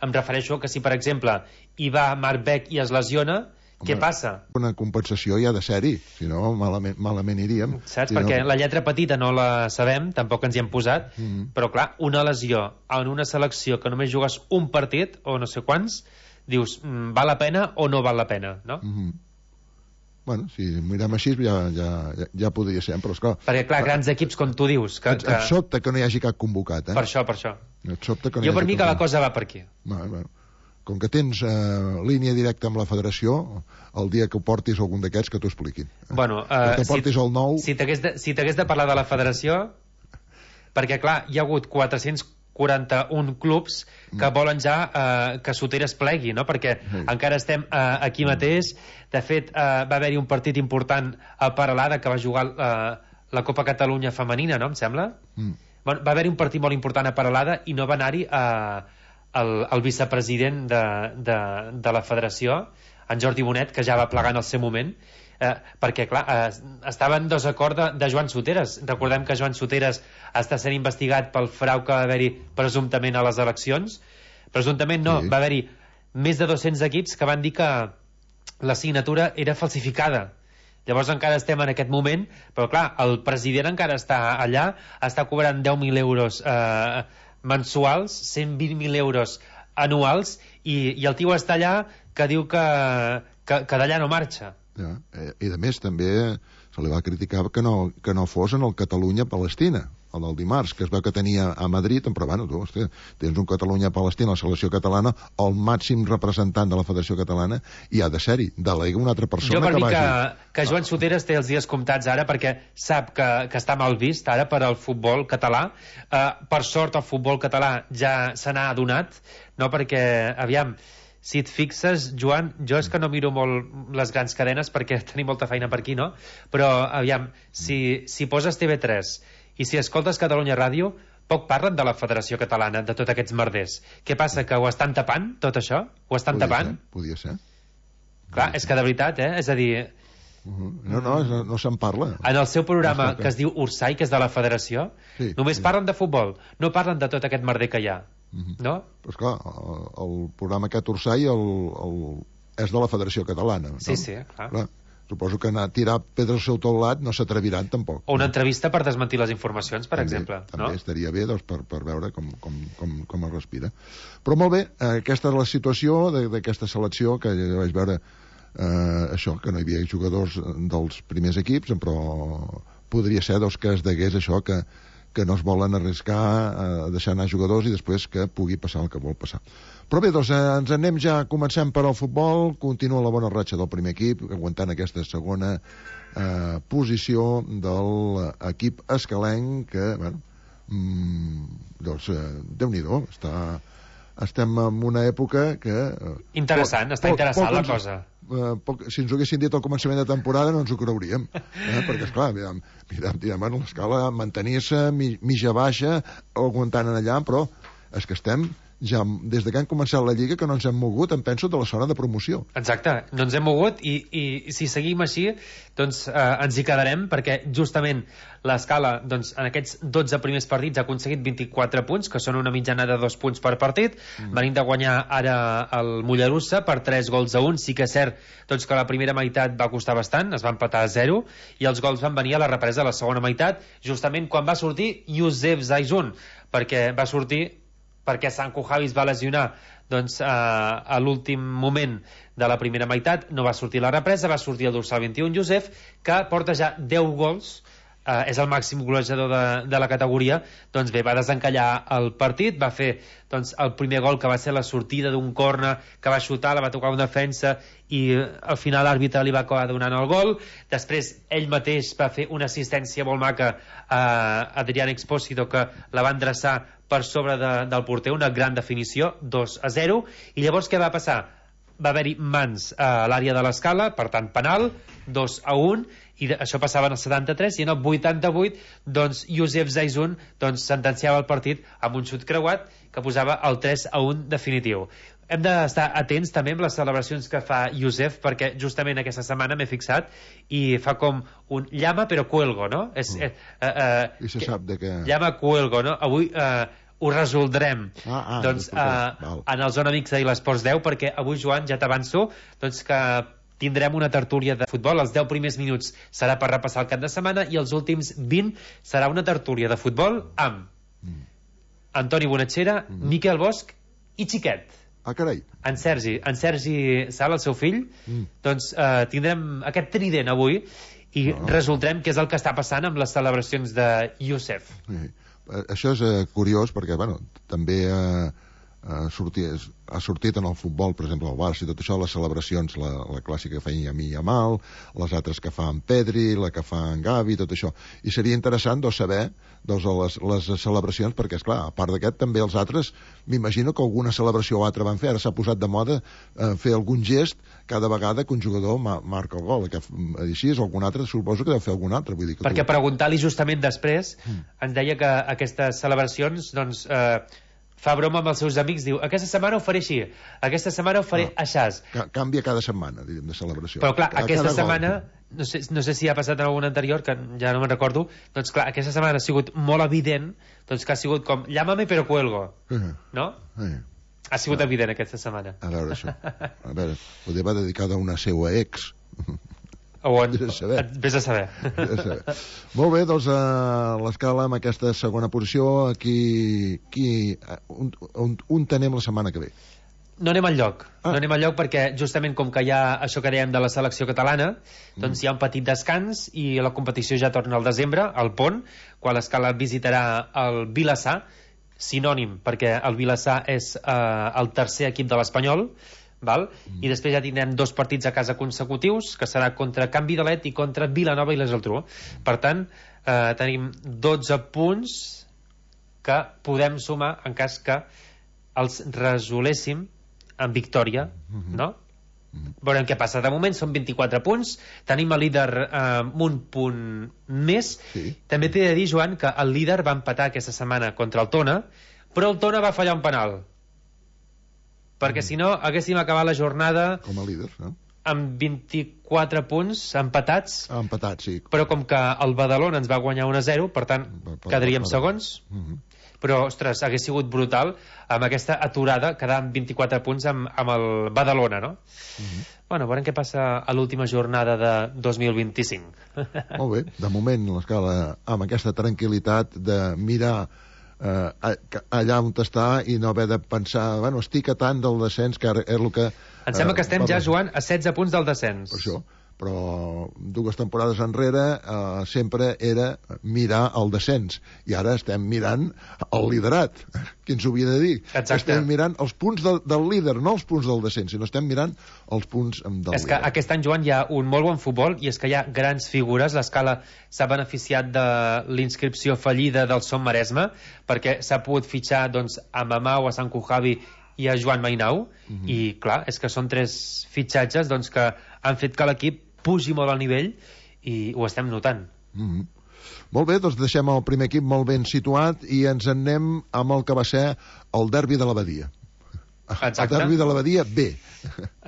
Em refereixo que si, per exemple, hi va Marc Beck i es lesiona, què passa? Una compensació ja de sèrie, si no malament iríem. Saps? Perquè la lletra petita no la sabem, tampoc ens hi hem posat, però clar, una lesió en una selecció que només jugues un partit, o no sé quants, dius, val la pena o no val la pena, no? Bueno, si mirem així ja podria ser, però esclar... Perquè clar, grans equips, com tu dius... Et sobta que no hi hagi cap convocat, Per això. Et sobta que no hi hagi jo per mi que la cosa va per aquí. Bueno. Com que tens línia directa amb la federació, el dia que ho portis algun d'aquests que t'ho expliquin. Bueno, que portis el nou... Si t'hagués de parlar de la federació, perquè clar, hi ha hagut 441 clubs que volen ja que Soteres plegui, no? Perquè encara estem aquí mateix. De fet, va haver-hi un partit important a Peralada que va jugar la Copa Catalunya femenina, no? Em sembla? Bueno, va haver-hi un partit molt important a Peralada i no va anar-hi el vicepresident de la federació, en Jordi Bonet, que ja va plegar en el seu moment, perquè, clar, estava en desacord de Joan Soteres. Recordem que Joan Soteres està sent investigat pel frau que va haver-hi presumptament a les eleccions. Presumptament no, va haver-hi més de 200 equips que van dir que la signatura era falsificada. Llavors encara estem en aquest moment, però clar, el president encara està allà, està cobrant 10.000 euros mensuals, 120.000 euros anuals, i el tio està allà que diu que d'allà no marxa. I a més també se li va criticar que no fos en el Catalunya-Palestina, el del dimarts, que es veu que tenia a Madrid, però bueno, tu, hosti, tens un Catalunya-Palestina, la selecció catalana, el màxim representant de la Federació Catalana, i ha de ser-hi, delega una altra persona que vagi. Jo per mi que Joan Soteres té els dies comptats ara, perquè sap que està mal vist ara per al futbol català. Per sort el futbol català ja se n'ha adonat, no? Perquè, aviam, si et fixes, Joan, jo és que no miro molt les grans cadenes perquè tenim molta feina per aquí, no? Però, aviam, si poses TV3 i si escoltes Catalunya Ràdio, poc parlen de la Federació Catalana, de tots aquests merders. Què passa, que ho estan tapant, tot això? Ho estan tapant? Podia ser. Clar, és que de veritat, és a dir... No se'n parla. En el seu programa, que es diu Ursai, que és de la Federació, només parlen de futbol, no parlen de tot aquest merder que hi ha. No? Però esclar, el programa aquest Ursai és de la Federació Catalana. Sí, clar. Suposo que anar a tirar pedres al seu teulat no s'atreviran tampoc. O una entrevista per desmentir les informacions, per exemple. També estaria bé per veure com es respira. Però molt bé, aquesta és la situació d'aquesta selecció, que ja vaig veure això, que no hi havia jugadors dels primers equips, però podria ser que es degués això, que no es volen arriscar a deixar anar jugadors i després que pugui passar el que vol passar. Però bé, doncs ens anem ja, comencem per al futbol, continua la bona ratxa del primer equip, aguantant aquesta segona posició de l'equip escalenc, que, bueno, doncs, Déu-n'hi-do, estem en una època que... Interessant, està interessant la cosa. Si ens ho haguessin dit al començament de temporada no ens ho creuríem, perquè esclar, mirem l'escala, mantenir-se mitja baixa, aguantant en allà, però és que estem ja des que han començat la Lliga que no ens hem mogut, em penso, de la zona de promoció. Exacte, no ens hem mogut i si seguim així doncs ens hi quedarem, perquè justament l'escala, doncs, en aquests 12 primers partits ha aconseguit 24 punts, que són una mitjana de 2 punts per partit, venint de guanyar ara el Mollerussa per 3-1. Sí que és cert doncs, que la primera meitat va costar bastant, es va empatar a 0, i els gols van venir a la represa de la segona meitat, justament quan va sortir Youssef Zaizun, perquè va sortir perquè Sanko Javi es va lesionar doncs, a l'últim moment de la primera meitat, no va sortir la represa, va sortir el dorsal 21 Youssef, que porta ja 10 gols, és el màxim golejador de la categoria. Doncs bé, va desencallar el partit, va fer doncs, el primer gol, que va ser la sortida d'un córner que va xutar, la va tocar un defensa i al final l'àrbitre li va acabar donant el gol. Després ell mateix va fer una assistència molt maca a Adrián Expósito, que la va endreçar per sobre del porter, una gran definició, 2-0. I llavors què va passar? Va haver-hi mans a l'àrea de l'escala, per tant penal, 2-1, i això passava en el 73, i en el 88 doncs Youssef Zaizun doncs, sentenciava el partit amb un xut creuat que posava el 3-1 definitiu. Hem d'estar atents també amb les celebracions que fa Youssef, perquè justament aquesta setmana m'he fixat i fa com un llama però cuelgo, no? I se sap de què... Llama cuelgo, no? Avui ho resoldrem doncs, en el Zona Mixta i l'Esports 10, perquè avui, Joan, ja t'avanço doncs, que tindrem una tertúlia de futbol. Els 10 primers minuts serà per repassar el cap de setmana i els últims 20 serà una tertúlia de futbol amb Antoni Bonatxera, Miquel Bosch i Xiquet. Carai. En Sergi Sala, el seu fill, doncs tindrem aquest trident avui i resoldrem què és el que està passant amb les celebracions de Youssef. Això és curiós perquè, bueno, també ha sortit en el futbol, per exemple, al Barça i tot això, les celebracions, la clàssica que feia Yamil Yamal, les altres que fa en Pedri, la que fa en Gavi, tot això. I seria interessant saber les celebracions, perquè, esclar, a part d'aquest, també els altres, m'imagino que alguna celebració o altra van fer. Ara s'ha posat de moda fer algun gest cada vegada que un jugador marca el gol. Així, algun altre, suposo que deu fer algun altre. Vull dir que perquè preguntar-li justament després ens deia que aquestes celebracions, doncs... fa broma amb els seus amics, diu, aquesta setmana ho faré així, aquesta setmana ho faré aixàs. Canvia cada setmana, diríem, de celebració. Però clar, aquesta setmana, no sé si ha passat en algun anterior, que ja no me'n recordo, doncs clar, aquesta setmana ha sigut molt evident, doncs que ha sigut com, llámame però cuelgo, no? Ha sigut evident aquesta setmana. A veure això, potser va dedicada a una seva ex. Vés a saber. Molt bé, doncs l'escala amb aquesta segona posició, on tenem la setmana que ve? No anem enlloc, perquè justament com que hi ha això que dèiem de la selecció catalana, doncs hi ha un petit descans i la competició ja torna al desembre, al Pont, quan l'escala visitarà el Vilassar, sinònim, perquè el Vilassar és el tercer equip de l'Espanyol, val? I després ja tindrem 2 partits a casa consecutius, que serà contra Can Vidalet i contra Vilanova i la Geltrú. Per tant, tenim 12 punts que podem sumar en cas que els resoléssim en victòria, no? Veurem què passa. De moment són 24 punts, tenim el líder amb un punt més. També t'he de dir, Joan, que el líder va empatar aquesta setmana contra el Tona, però el Tona va fallar un penal, perquè si no haguéssim acabat la jornada com a líder, no? Amb 24 punts empatats. Empatats, sí. Però com que el Badalona ens va guanyar 1-0, per tant, quedaríem segons. Però, ostres, hagués sigut brutal amb aquesta aturada, quedar amb 24 punts amb el Badalona, no? Bueno, veurem què passa a l'última jornada de 2025. Molt bé, de moment l'Escala amb aquesta tranquil·litat de mirar allà on està i no haver de pensar, bueno, estic a tant del descens, que és el que... Em sembla que estem ja, Joan, a 16 punts del descens. Per això, però 2 temporades enrere sempre era mirar el descens, i ara estem mirant el liderat. Qui ens ho havia de dir? Exacte. Estem mirant els punts del líder, no els punts del descens, sinó estem mirant els punts del líder. És que aquest any, Joan, hi ha un molt bon futbol, i és que hi ha grans figures. L'Escala s'ha beneficiat de l'inscripció fallida del Som Maresme, perquè s'ha pogut fitxar doncs, a Mamau, a Sant Cujavi i a Joan Mainau, i clar, és que són 3 fitxatges doncs, que han fet que l'equip pugi molt al nivell, i ho estem notant. Molt bé, doncs deixem el primer equip molt ben situat i ens en anem amb el que va ser el derbi de l'Abadia. Exacte. El derbi de l'Abadia B.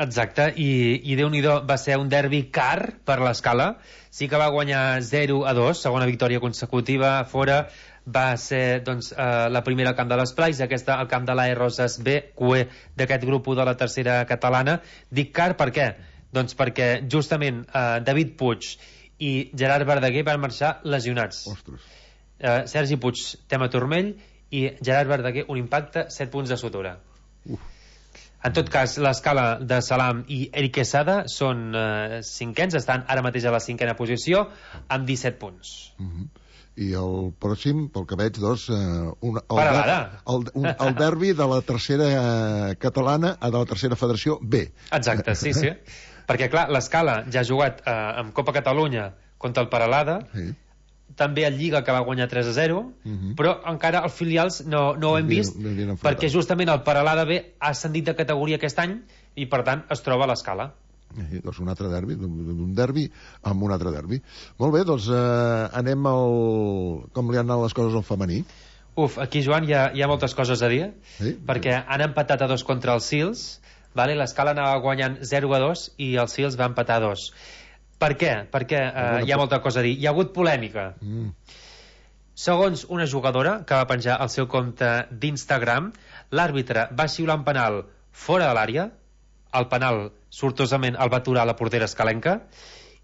Exacte, i Déu-n'hi-do, va ser un derbi car per l'Escala. Sí que va guanyar 0-2, segona victòria consecutiva fora. Va ser doncs, la primera al camp de les Plais, aquesta al camp de l'AE Roses B, QE d'aquest grup de la tercera catalana. Dic car per què? Doncs perquè justament David Puig i Gerard Verdaguer van marxar lesionats. Sergi Puig, tema turmell, i Gerard Verdaguer, un impacte, 7 punts de sutura. En tot cas, l'Escala de Salam i Eric Quesada són cinquens, estan ara mateix a la 5a posició amb 17 punts. I el pròxim, pel que veig, doncs, el derbi de la tercera catalana a de la tercera federació B. Exacte, sí. Perquè, clar, l'Escala ja ha jugat amb Copa Catalunya contra el Peralada, també el Lliga, que va guanyar 3-0, però encara els filials no ho hem vist, perquè justament el Peralada B ha ascendit de categoria aquest any i, per tant, es troba a l'Escala. Doncs un altre derbi, d'un derbi amb un altre derbi. Molt bé, doncs anem com li han anat les coses al femení. Aquí, Joan, hi ha moltes coses a dir, perquè han empatat a 2 contra els Sils, l'Escala anava guanyant 0-2 i el Sils va empatar 2. Per què? Perquè hi ha molta cosa a dir. Hi ha hagut polèmica. Segons una jugadora que va penjar al seu compte d'Instagram, l'àrbitre va xiular un penal fora de l'àrea, el penal sortosament el va aturar la portera escalenca,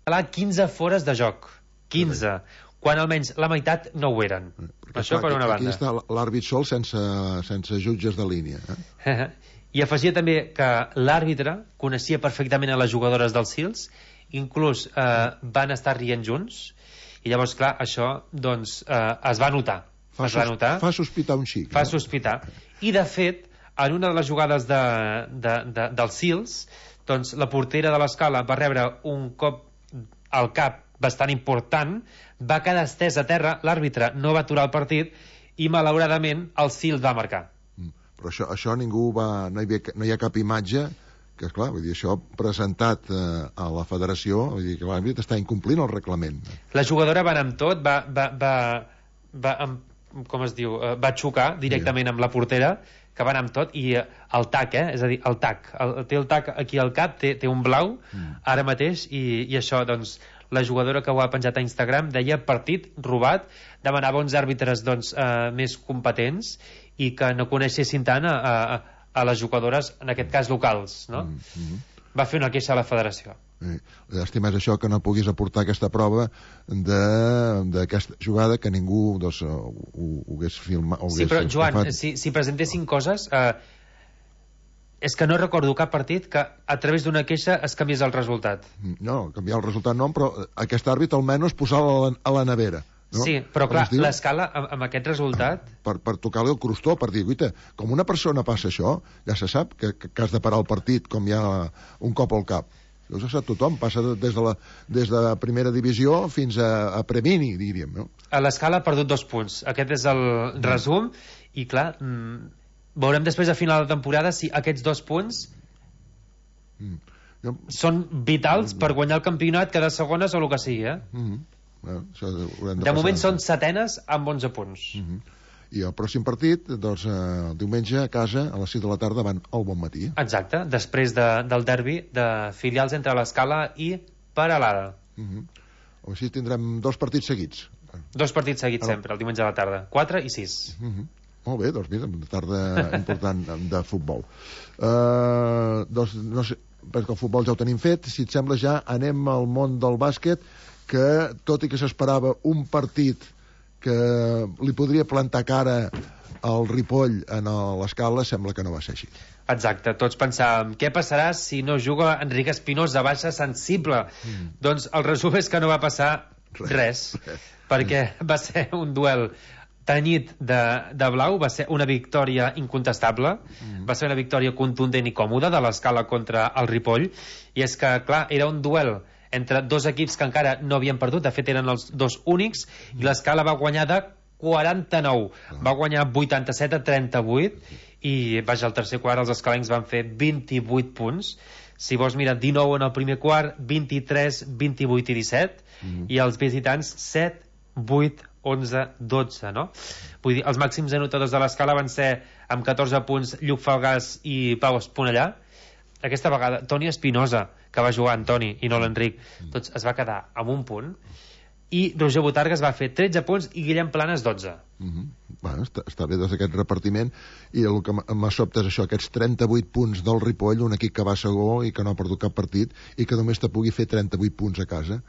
15 fores de joc, 15, quan almenys la meitat no ho eren. Això per una banda. Aquí està l'àrbit sol sense jutges de línia. I afegia també que l'àrbitre coneixia perfectament a les jugadores dels Sils, inclús van estar rient junts, i llavors, clar, això doncs, es va notar. Fa sospitar un xic. Fa sospitar. I, de fet, en una de les jugades dels Sils, doncs la portera de l'Escala va rebre un cop al cap bastant important, va quedar estès a terra, l'àrbitre no va aturar el partit i, malauradament, el Sils va marcar. Però això ningú no hi ha cap imatge que, esclar, vull dir, això presentat a la federació, vull dir que l'àrbitre està incomplint el reglament. La jugadora va anar amb tot, va xocar directament amb la portera, que va anar amb tot, i el tac, és a dir, el tac, té el tac aquí al cap, té un blau ara mateix, i això, doncs, la jugadora que ho ha penjat a Instagram deia partit robat, demanava uns àrbitres doncs, més competents i que no coneixessin tant a les jugadores, en aquest cas locals, no? Va fer una queixa a la federació. Llàstima és això, que no puguis aportar aquesta prova d'aquesta jugada, que ningú doncs, ho hagués filmat. Sí, però Joan, si presentessin coses, és que no recordo cap partit que a través d'una queixa es canviés el resultat. No, canviar el resultat no, però aquest àrbit almenys posar-lo a la nevera. No? Sí, però clar, l'Escala amb aquest resultat... Per tocar-li el crostó, per dir, guaita, com una persona passa això, ja se sap que has de parar el partit com hi ha un cop al cap. Això ho sap tothom, passa des de primera divisió fins a premini, diríem, no? L'Escala ha perdut 2 punts. Aquest és el resum, i clar, veurem després a final de temporada si aquests 2 punts són vitals per guanyar el campionat, quedar segones o el que sigui, De moment són setenes amb 11 punts. I el pròxim partit, doncs, diumenge a casa, a les 6 de la tarda, van al Bonmatí. Exacte, després del derbi de filials entre l'Escala i Peralada. Així tindrem 2 partits seguits. 2 partits seguits sempre, el diumenge a la tarda, 4 i 6. Molt bé, doncs mira, una tarda important de futbol. Doncs no sé, perquè el futbol ja ho tenim fet, si et sembla ja anem al món del bàsquet, que tot i que s'esperava un partit que li podria plantar cara al Ripoll en l'Escala, sembla que no va ser així. Exacte, tots pensàvem, què passarà si no juga Enric Espinosa, baixa sensible? Doncs el resum és que no va passar res. Perquè va ser un duel tenyit de blau, va ser una victòria incontestable, va ser una victòria contundent i còmoda de l'Escala contra el Ripoll, i és que, clar, era un duel entre 2 equips que encara no havien perdut, de fet eren els 2 únics, i l'Escala va guanyar de 49, va guanyar 87-38, i vaja, al tercer quart els escalencs van fer 28 punts, si vols mirar 19 en el primer quart, 23, 28 i 17, i els visitants 7, 8, 11, 12, no? Vull dir, els màxims anotadors de l'Escala van ser amb 14 punts Lluc Falgàs i Pau Esponellà. Aquesta vegada Toni Espinosa, que va jugar Antoni i no l'Enric, doncs es va quedar amb un punt, i Roger Botargas va fer 13 punts i Guillem Planes 12. Bueno, està bé des d'aquest repartiment, i el que m'ha sobtat és això, aquests 38 punts del Ripoll, un equip que va segó i que no ha perdut cap partit i que només te pugui fer 38 punts a casa.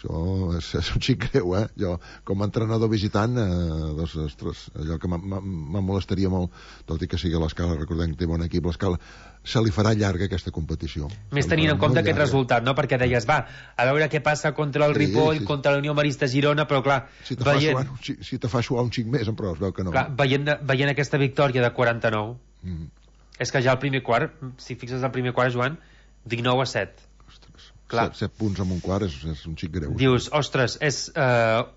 Això és un xic greu, Jo, com a entrenador visitant, doncs, ostres, allò que me molestaria molt, tot i que sigui l'Escala, recordem que té bon equip, l'Escala, se li farà llarga aquesta competició. Més tenint en compte aquest resultat, no? Perquè deies, va, a veure què passa contra el Ripoll, contra la Unió Marista Girona, però clar, si te fa suar un xic més, però es veu que no. Clar, veient aquesta victòria de 49, és que ja el primer quart, si fixes el primer quart, Joan, 19-7. 7 punts en un quart és un xic greu. Dius, ostres, és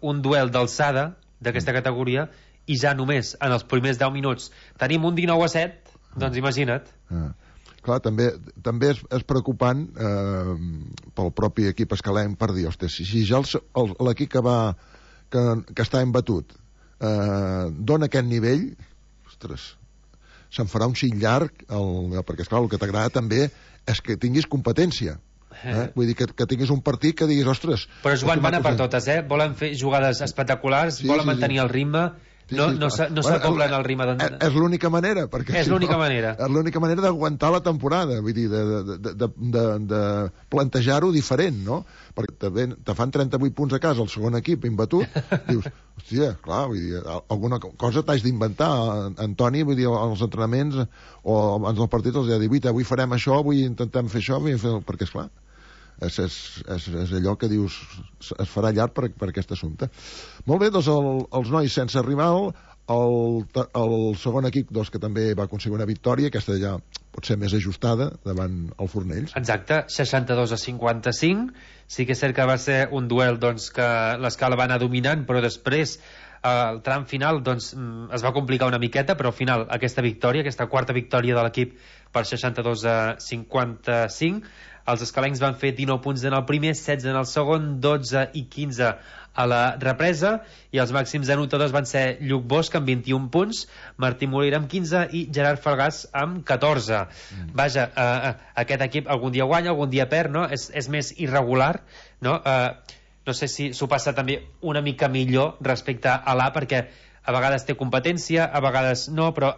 un duel d'alçada d'aquesta categoria i ja només en els primers 10 minuts tenim un 19-7, doncs imagina't. Clar, també és preocupant pel propi equip escalenc per dir, ostres, si ja l'equip que està embatut dona aquest nivell, ostres, se'n farà un xic llarg, perquè esclar, el que t'agrada també és que tinguis competència. Vull dir que tinguis un partit que diguis, ostres... Però Joan, van a per totes, volen fer jugades espectaculars, volen mantenir el ritme, no s'acoplen al ritme és l'única manera, és l'única manera és l'única manera d'aguantar la temporada, vull dir, de plantejar-ho diferent, no? Perquè te fan 38 punts a casa el segon equip imbatut, dius, hòstia, clar, vull dir, alguna cosa t'has d'inventar, Antoni, vull dir, als entrenaments o abans del partit els ha dit, avui farem això, avui intentem fer això, perquè esclar, és allò que dius, es farà llarg per aquest assumpte. Molt bé, doncs els nois sense rival, el segon equip doncs, que també va aconseguir una victòria, aquesta ja pot ser més ajustada davant el Fornells. Exacte, 62-55, sí que és cert que va ser un duel doncs, que l'Escala va anar dominant, però després el tram final doncs, es va complicar una miqueta, però al final aquesta victòria, aquesta quarta victòria de l'equip per 62-55, els escalencs van fer 19 punts en el primer, 16 en el segon, 12 i 15 a la represa, i els màxims anotadors van ser Lluc Bosch amb 21 punts, Martí Molera amb 15 i Gerard Falgàs amb 14. Vaja, aquest equip algun dia guanya, algun dia perd, no? És més irregular, no? No sé si s'ho passa també una mica millor respecte a l'A, perquè a vegades té competència, a vegades no, però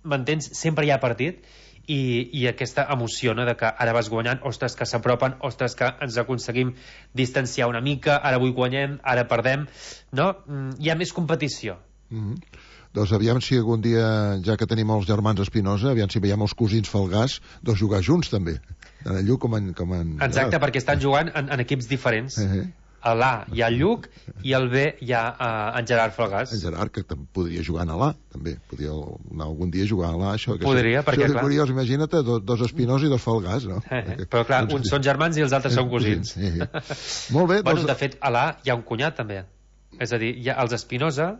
m'entens? Sempre hi ha partit, i aquesta emoció, no?, de que ara vas guanyant, ostres, que s'apropen, ostres, que ens aconseguim distanciar una mica, ara avui guanyem, ara perdem, no? Hi ha més competició. Doncs aviam si algun dia, ja que tenim els germans Espinosa, aviam si veiem els cosins Falgàs, doncs jugar junts també, tant en Lluc com en... Exacte, perquè estan jugant en equips diferents. A l'A hi ha el Lluc i al B hi ha en Gerard Falgàs. En Gerard, que podria jugar a l'A, també. Podria anar algun dia a jugar a l'A, això. Podria, perquè clar... Curiós, imagina't, dos Espinosa i dos Falgàs, no? Però clar, uns són germans i els altres són cosins. Molt bé, doncs... De fet, a l'A hi ha un cunyat, també. És a dir, hi ha els Espinosa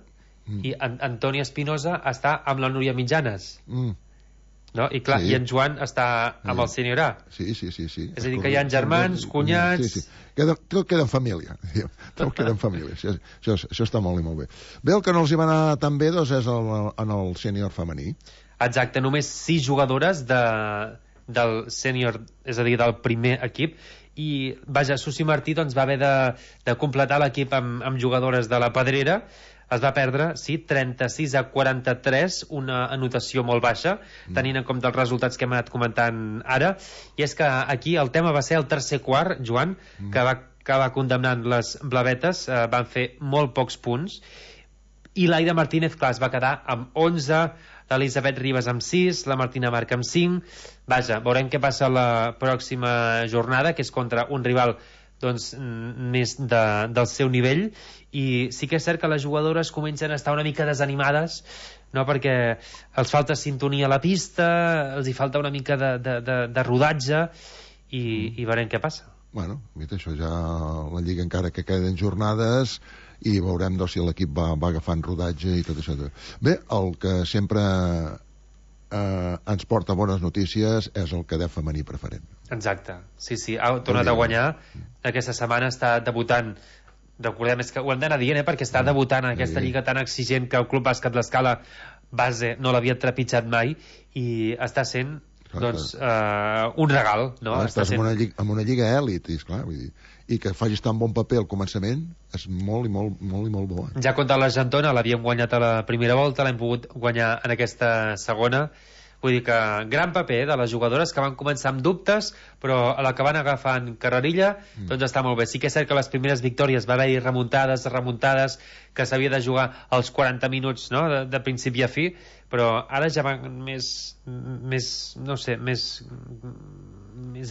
i Antoni Espinosa està amb la Núria Mitjanes. no? I clar, Sí. i en Joan està amb el sènior A. Sí. És a dir, que hi ha germans, cunyats... Sí. Tot queda en família. Tot queda en família. Això està molt i molt bé. Bé, el que no els hi va anar tan bé doncs, és en el sènior femení. Exacte, només 6 jugadores del sènior, és a dir, del primer equip, i vaja, Susi Martí doncs, va haver de completar l'equip amb jugadores de la Pedrera. Es va perdre, sí, 36-43, una anotació molt baixa, tenint en compte els resultats que hem anat comentant ara. I és que aquí el tema va ser el tercer quart, Joan, que va acabar condemnant les blavetes, van fer molt pocs punts, i l'Aida Martínez, clar, es va quedar amb 11, l'Elisabet Ribas amb 6, la Martina Marc amb 5. Vaja, veurem què passa la pròxima jornada, que és contra un rival doncs, més del seu nivell, i sí que és cert que les jugadores comencen a estar una mica desanimades, no? Perquè els falta sintonia a la pista, els hi falta una mica de rodatge, i veurem què passa. Bueno, mira, això ja la Lliga encara que queden jornades, i veurem si l'equip va agafant rodatge i tot això. Bé, el que sempre ens porta bones notícies és el cadet femení preferent. Exacte, sí, ha tornat a guanyar. Aquesta setmana està debutant, recordem, és que ho hem d'anar dient, perquè està debutant en aquesta lliga tan exigent que el Club Bàsquet l'Escala base no l'havia trepitjat mai, i està sent doncs, un regal, no? Estàs en una lliga èlit, esclar, vull dir, i que facis tan bon paper al començament és molt i molt bo. Ja contra l'Argentona l'havíem guanyat a la primera volta, l'hem pogut guanyar en aquesta segona. Vull dir que gran paper de les jugadores que van començar amb dubtes, però a la que van agafant carrerilla, doncs està molt bé. Sí que és cert que les primeres victòries va haver-hi remuntades, que s'havia de jugar als 40 minuts, no?, de principi a fi, però ara ja van més no sé, més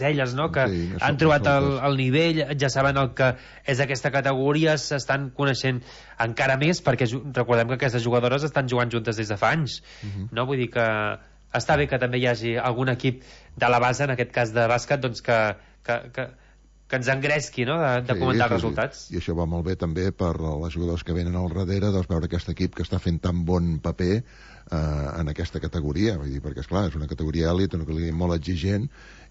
elles, no?, que han trobat el nivell, ja saben el que és aquesta categoria, s'estan coneixent encara més, perquè recordem que aquestes jugadores estan jugant juntes des de fa anys, no? Vull dir que està bé que també hi hagi algun equip de la base, en aquest cas de bàsquet, doncs que ens engresqui, no?, de comentar els resultats. I això va molt bé també per les jugadors que venen al darrere, doncs veure aquest equip que està fent tan bon paper en aquesta categoria, vull dir, perquè esclar, és una categoria èlit, una categoria molt exigent,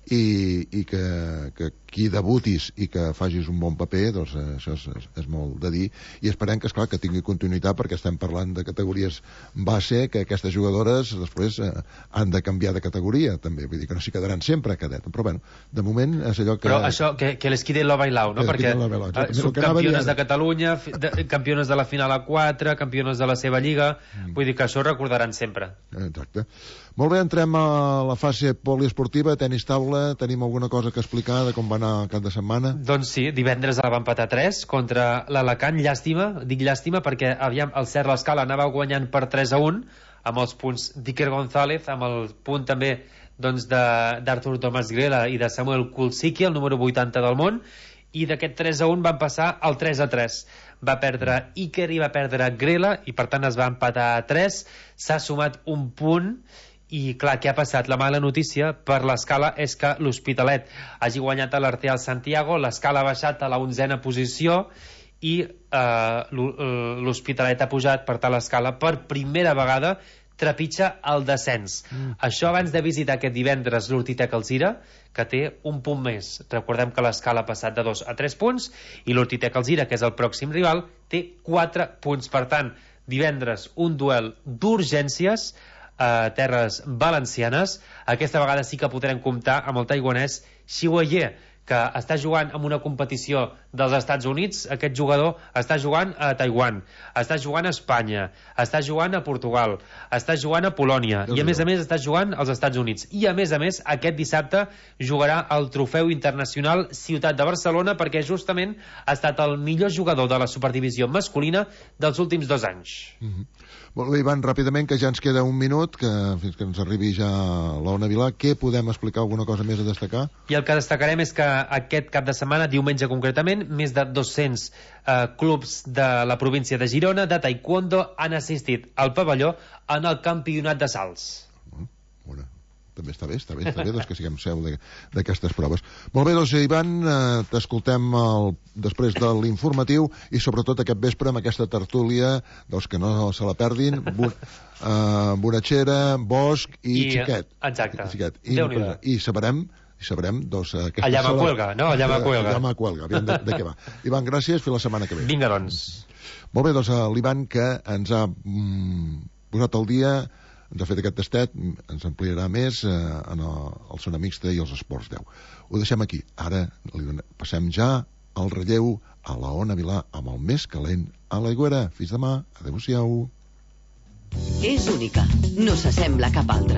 i que qui debutis i que facis un bon paper, doncs això és molt de dir, i esperem que, esclar, que tingui continuïtat, perquè estem parlant de categories base, que aquestes jugadores després han de canviar de categoria també, vull dir que no s'hi quedaran sempre a cadet, però bueno, de moment és allò que... Però això, que les quede lo bailao, no? Perquè subcampiones de Catalunya, campiones de la final A4, campiones de la seva lliga, vull dir que això ho recordaran sempre. Exacte. Molt bé, entrem a la fase poliesportiva, tenis taula, tenim alguna cosa que explicar de com va anar el cap de setmana? Doncs sí, divendres va empatar 3 contra l'Alacant, dic llàstima perquè aviam, el Cert l'Escala anava guanyant per 3-1 amb els punts d'Iker González, amb el punt també doncs, d'Artur Tomàs Grela i de Samuel Kulsiki, el número 80 del món, i d'aquest 3-1 van passar al 3-3. Va perdre Iker i va perdre Grela, i per tant es va empatar a 3, s'ha sumat un punt. I clar, què ha passat? La mala notícia per l'Escala és que l'Hospitalet hagi guanyat a l'Arteal Santiago, l'Escala ha baixat a la 11a posició i l'Hospitalet ha pujat, per tant l'Escala per primera vegada trepitja el descens. Això abans de visitar aquest divendres l'Hortitec Alzira, que té un punt més. Recordem que l'Escala ha passat de 2 a 3 punts i l'Hortitec Alzira, que és el pròxim rival, té 4 punts. Per tant, divendres un duel d'urgències a terres valencianes. Aquesta vegada sí que podrem comptar amb el taiwanès Xiu Ye, que està jugant en una competició dels Estats Units. Aquest jugador està jugant a Taiwan, està jugant a Espanya, està jugant a Portugal, està jugant a Polònia i a més està jugant als Estats Units. I a més, aquest dissabte jugarà el Trofeu Internacional Ciutat de Barcelona, perquè justament ha estat el millor jugador de la superdivisió masculina dels últims 2 anys. Molt bé, Ivan, ràpidament, que ja ens queda un minut, fins que ens arribi ja l'Ona Vilà. Què podem explicar, alguna cosa més a destacar? I el que destacarem és que aquest cap de setmana, diumenge concretament, més de 200 clubs de la província de Girona de taekwondo han assistit al pavelló en el campionat de salts. també està bé, doncs que siguem seu d'aquestes proves. Molt bé, doncs, Ivan, t'escoltem després de l'informatiu i sobretot aquest vespre amb aquesta tertúlia, doncs que no se la perdin, Bonatxera, Bosch i Xiquet. Exacte. I sabrem doncs... Allà Cuelga, no? Allà Cuelga, aviam de què va. Ivan, gràcies, fins la setmana que ve. Vinga, doncs. Molt bé, doncs l'Ivan, que ens ha posat al dia, ens ha fet aquest tastet, ens ampliarà més en el Zona Mixta i els Esports 10. Ho deixem aquí. Ara passem ja al relleu a la Ona Vilà amb el més calent a l'Aigüera. Fins demà. Adéu-siau. És única. No s'assembla a cap altra.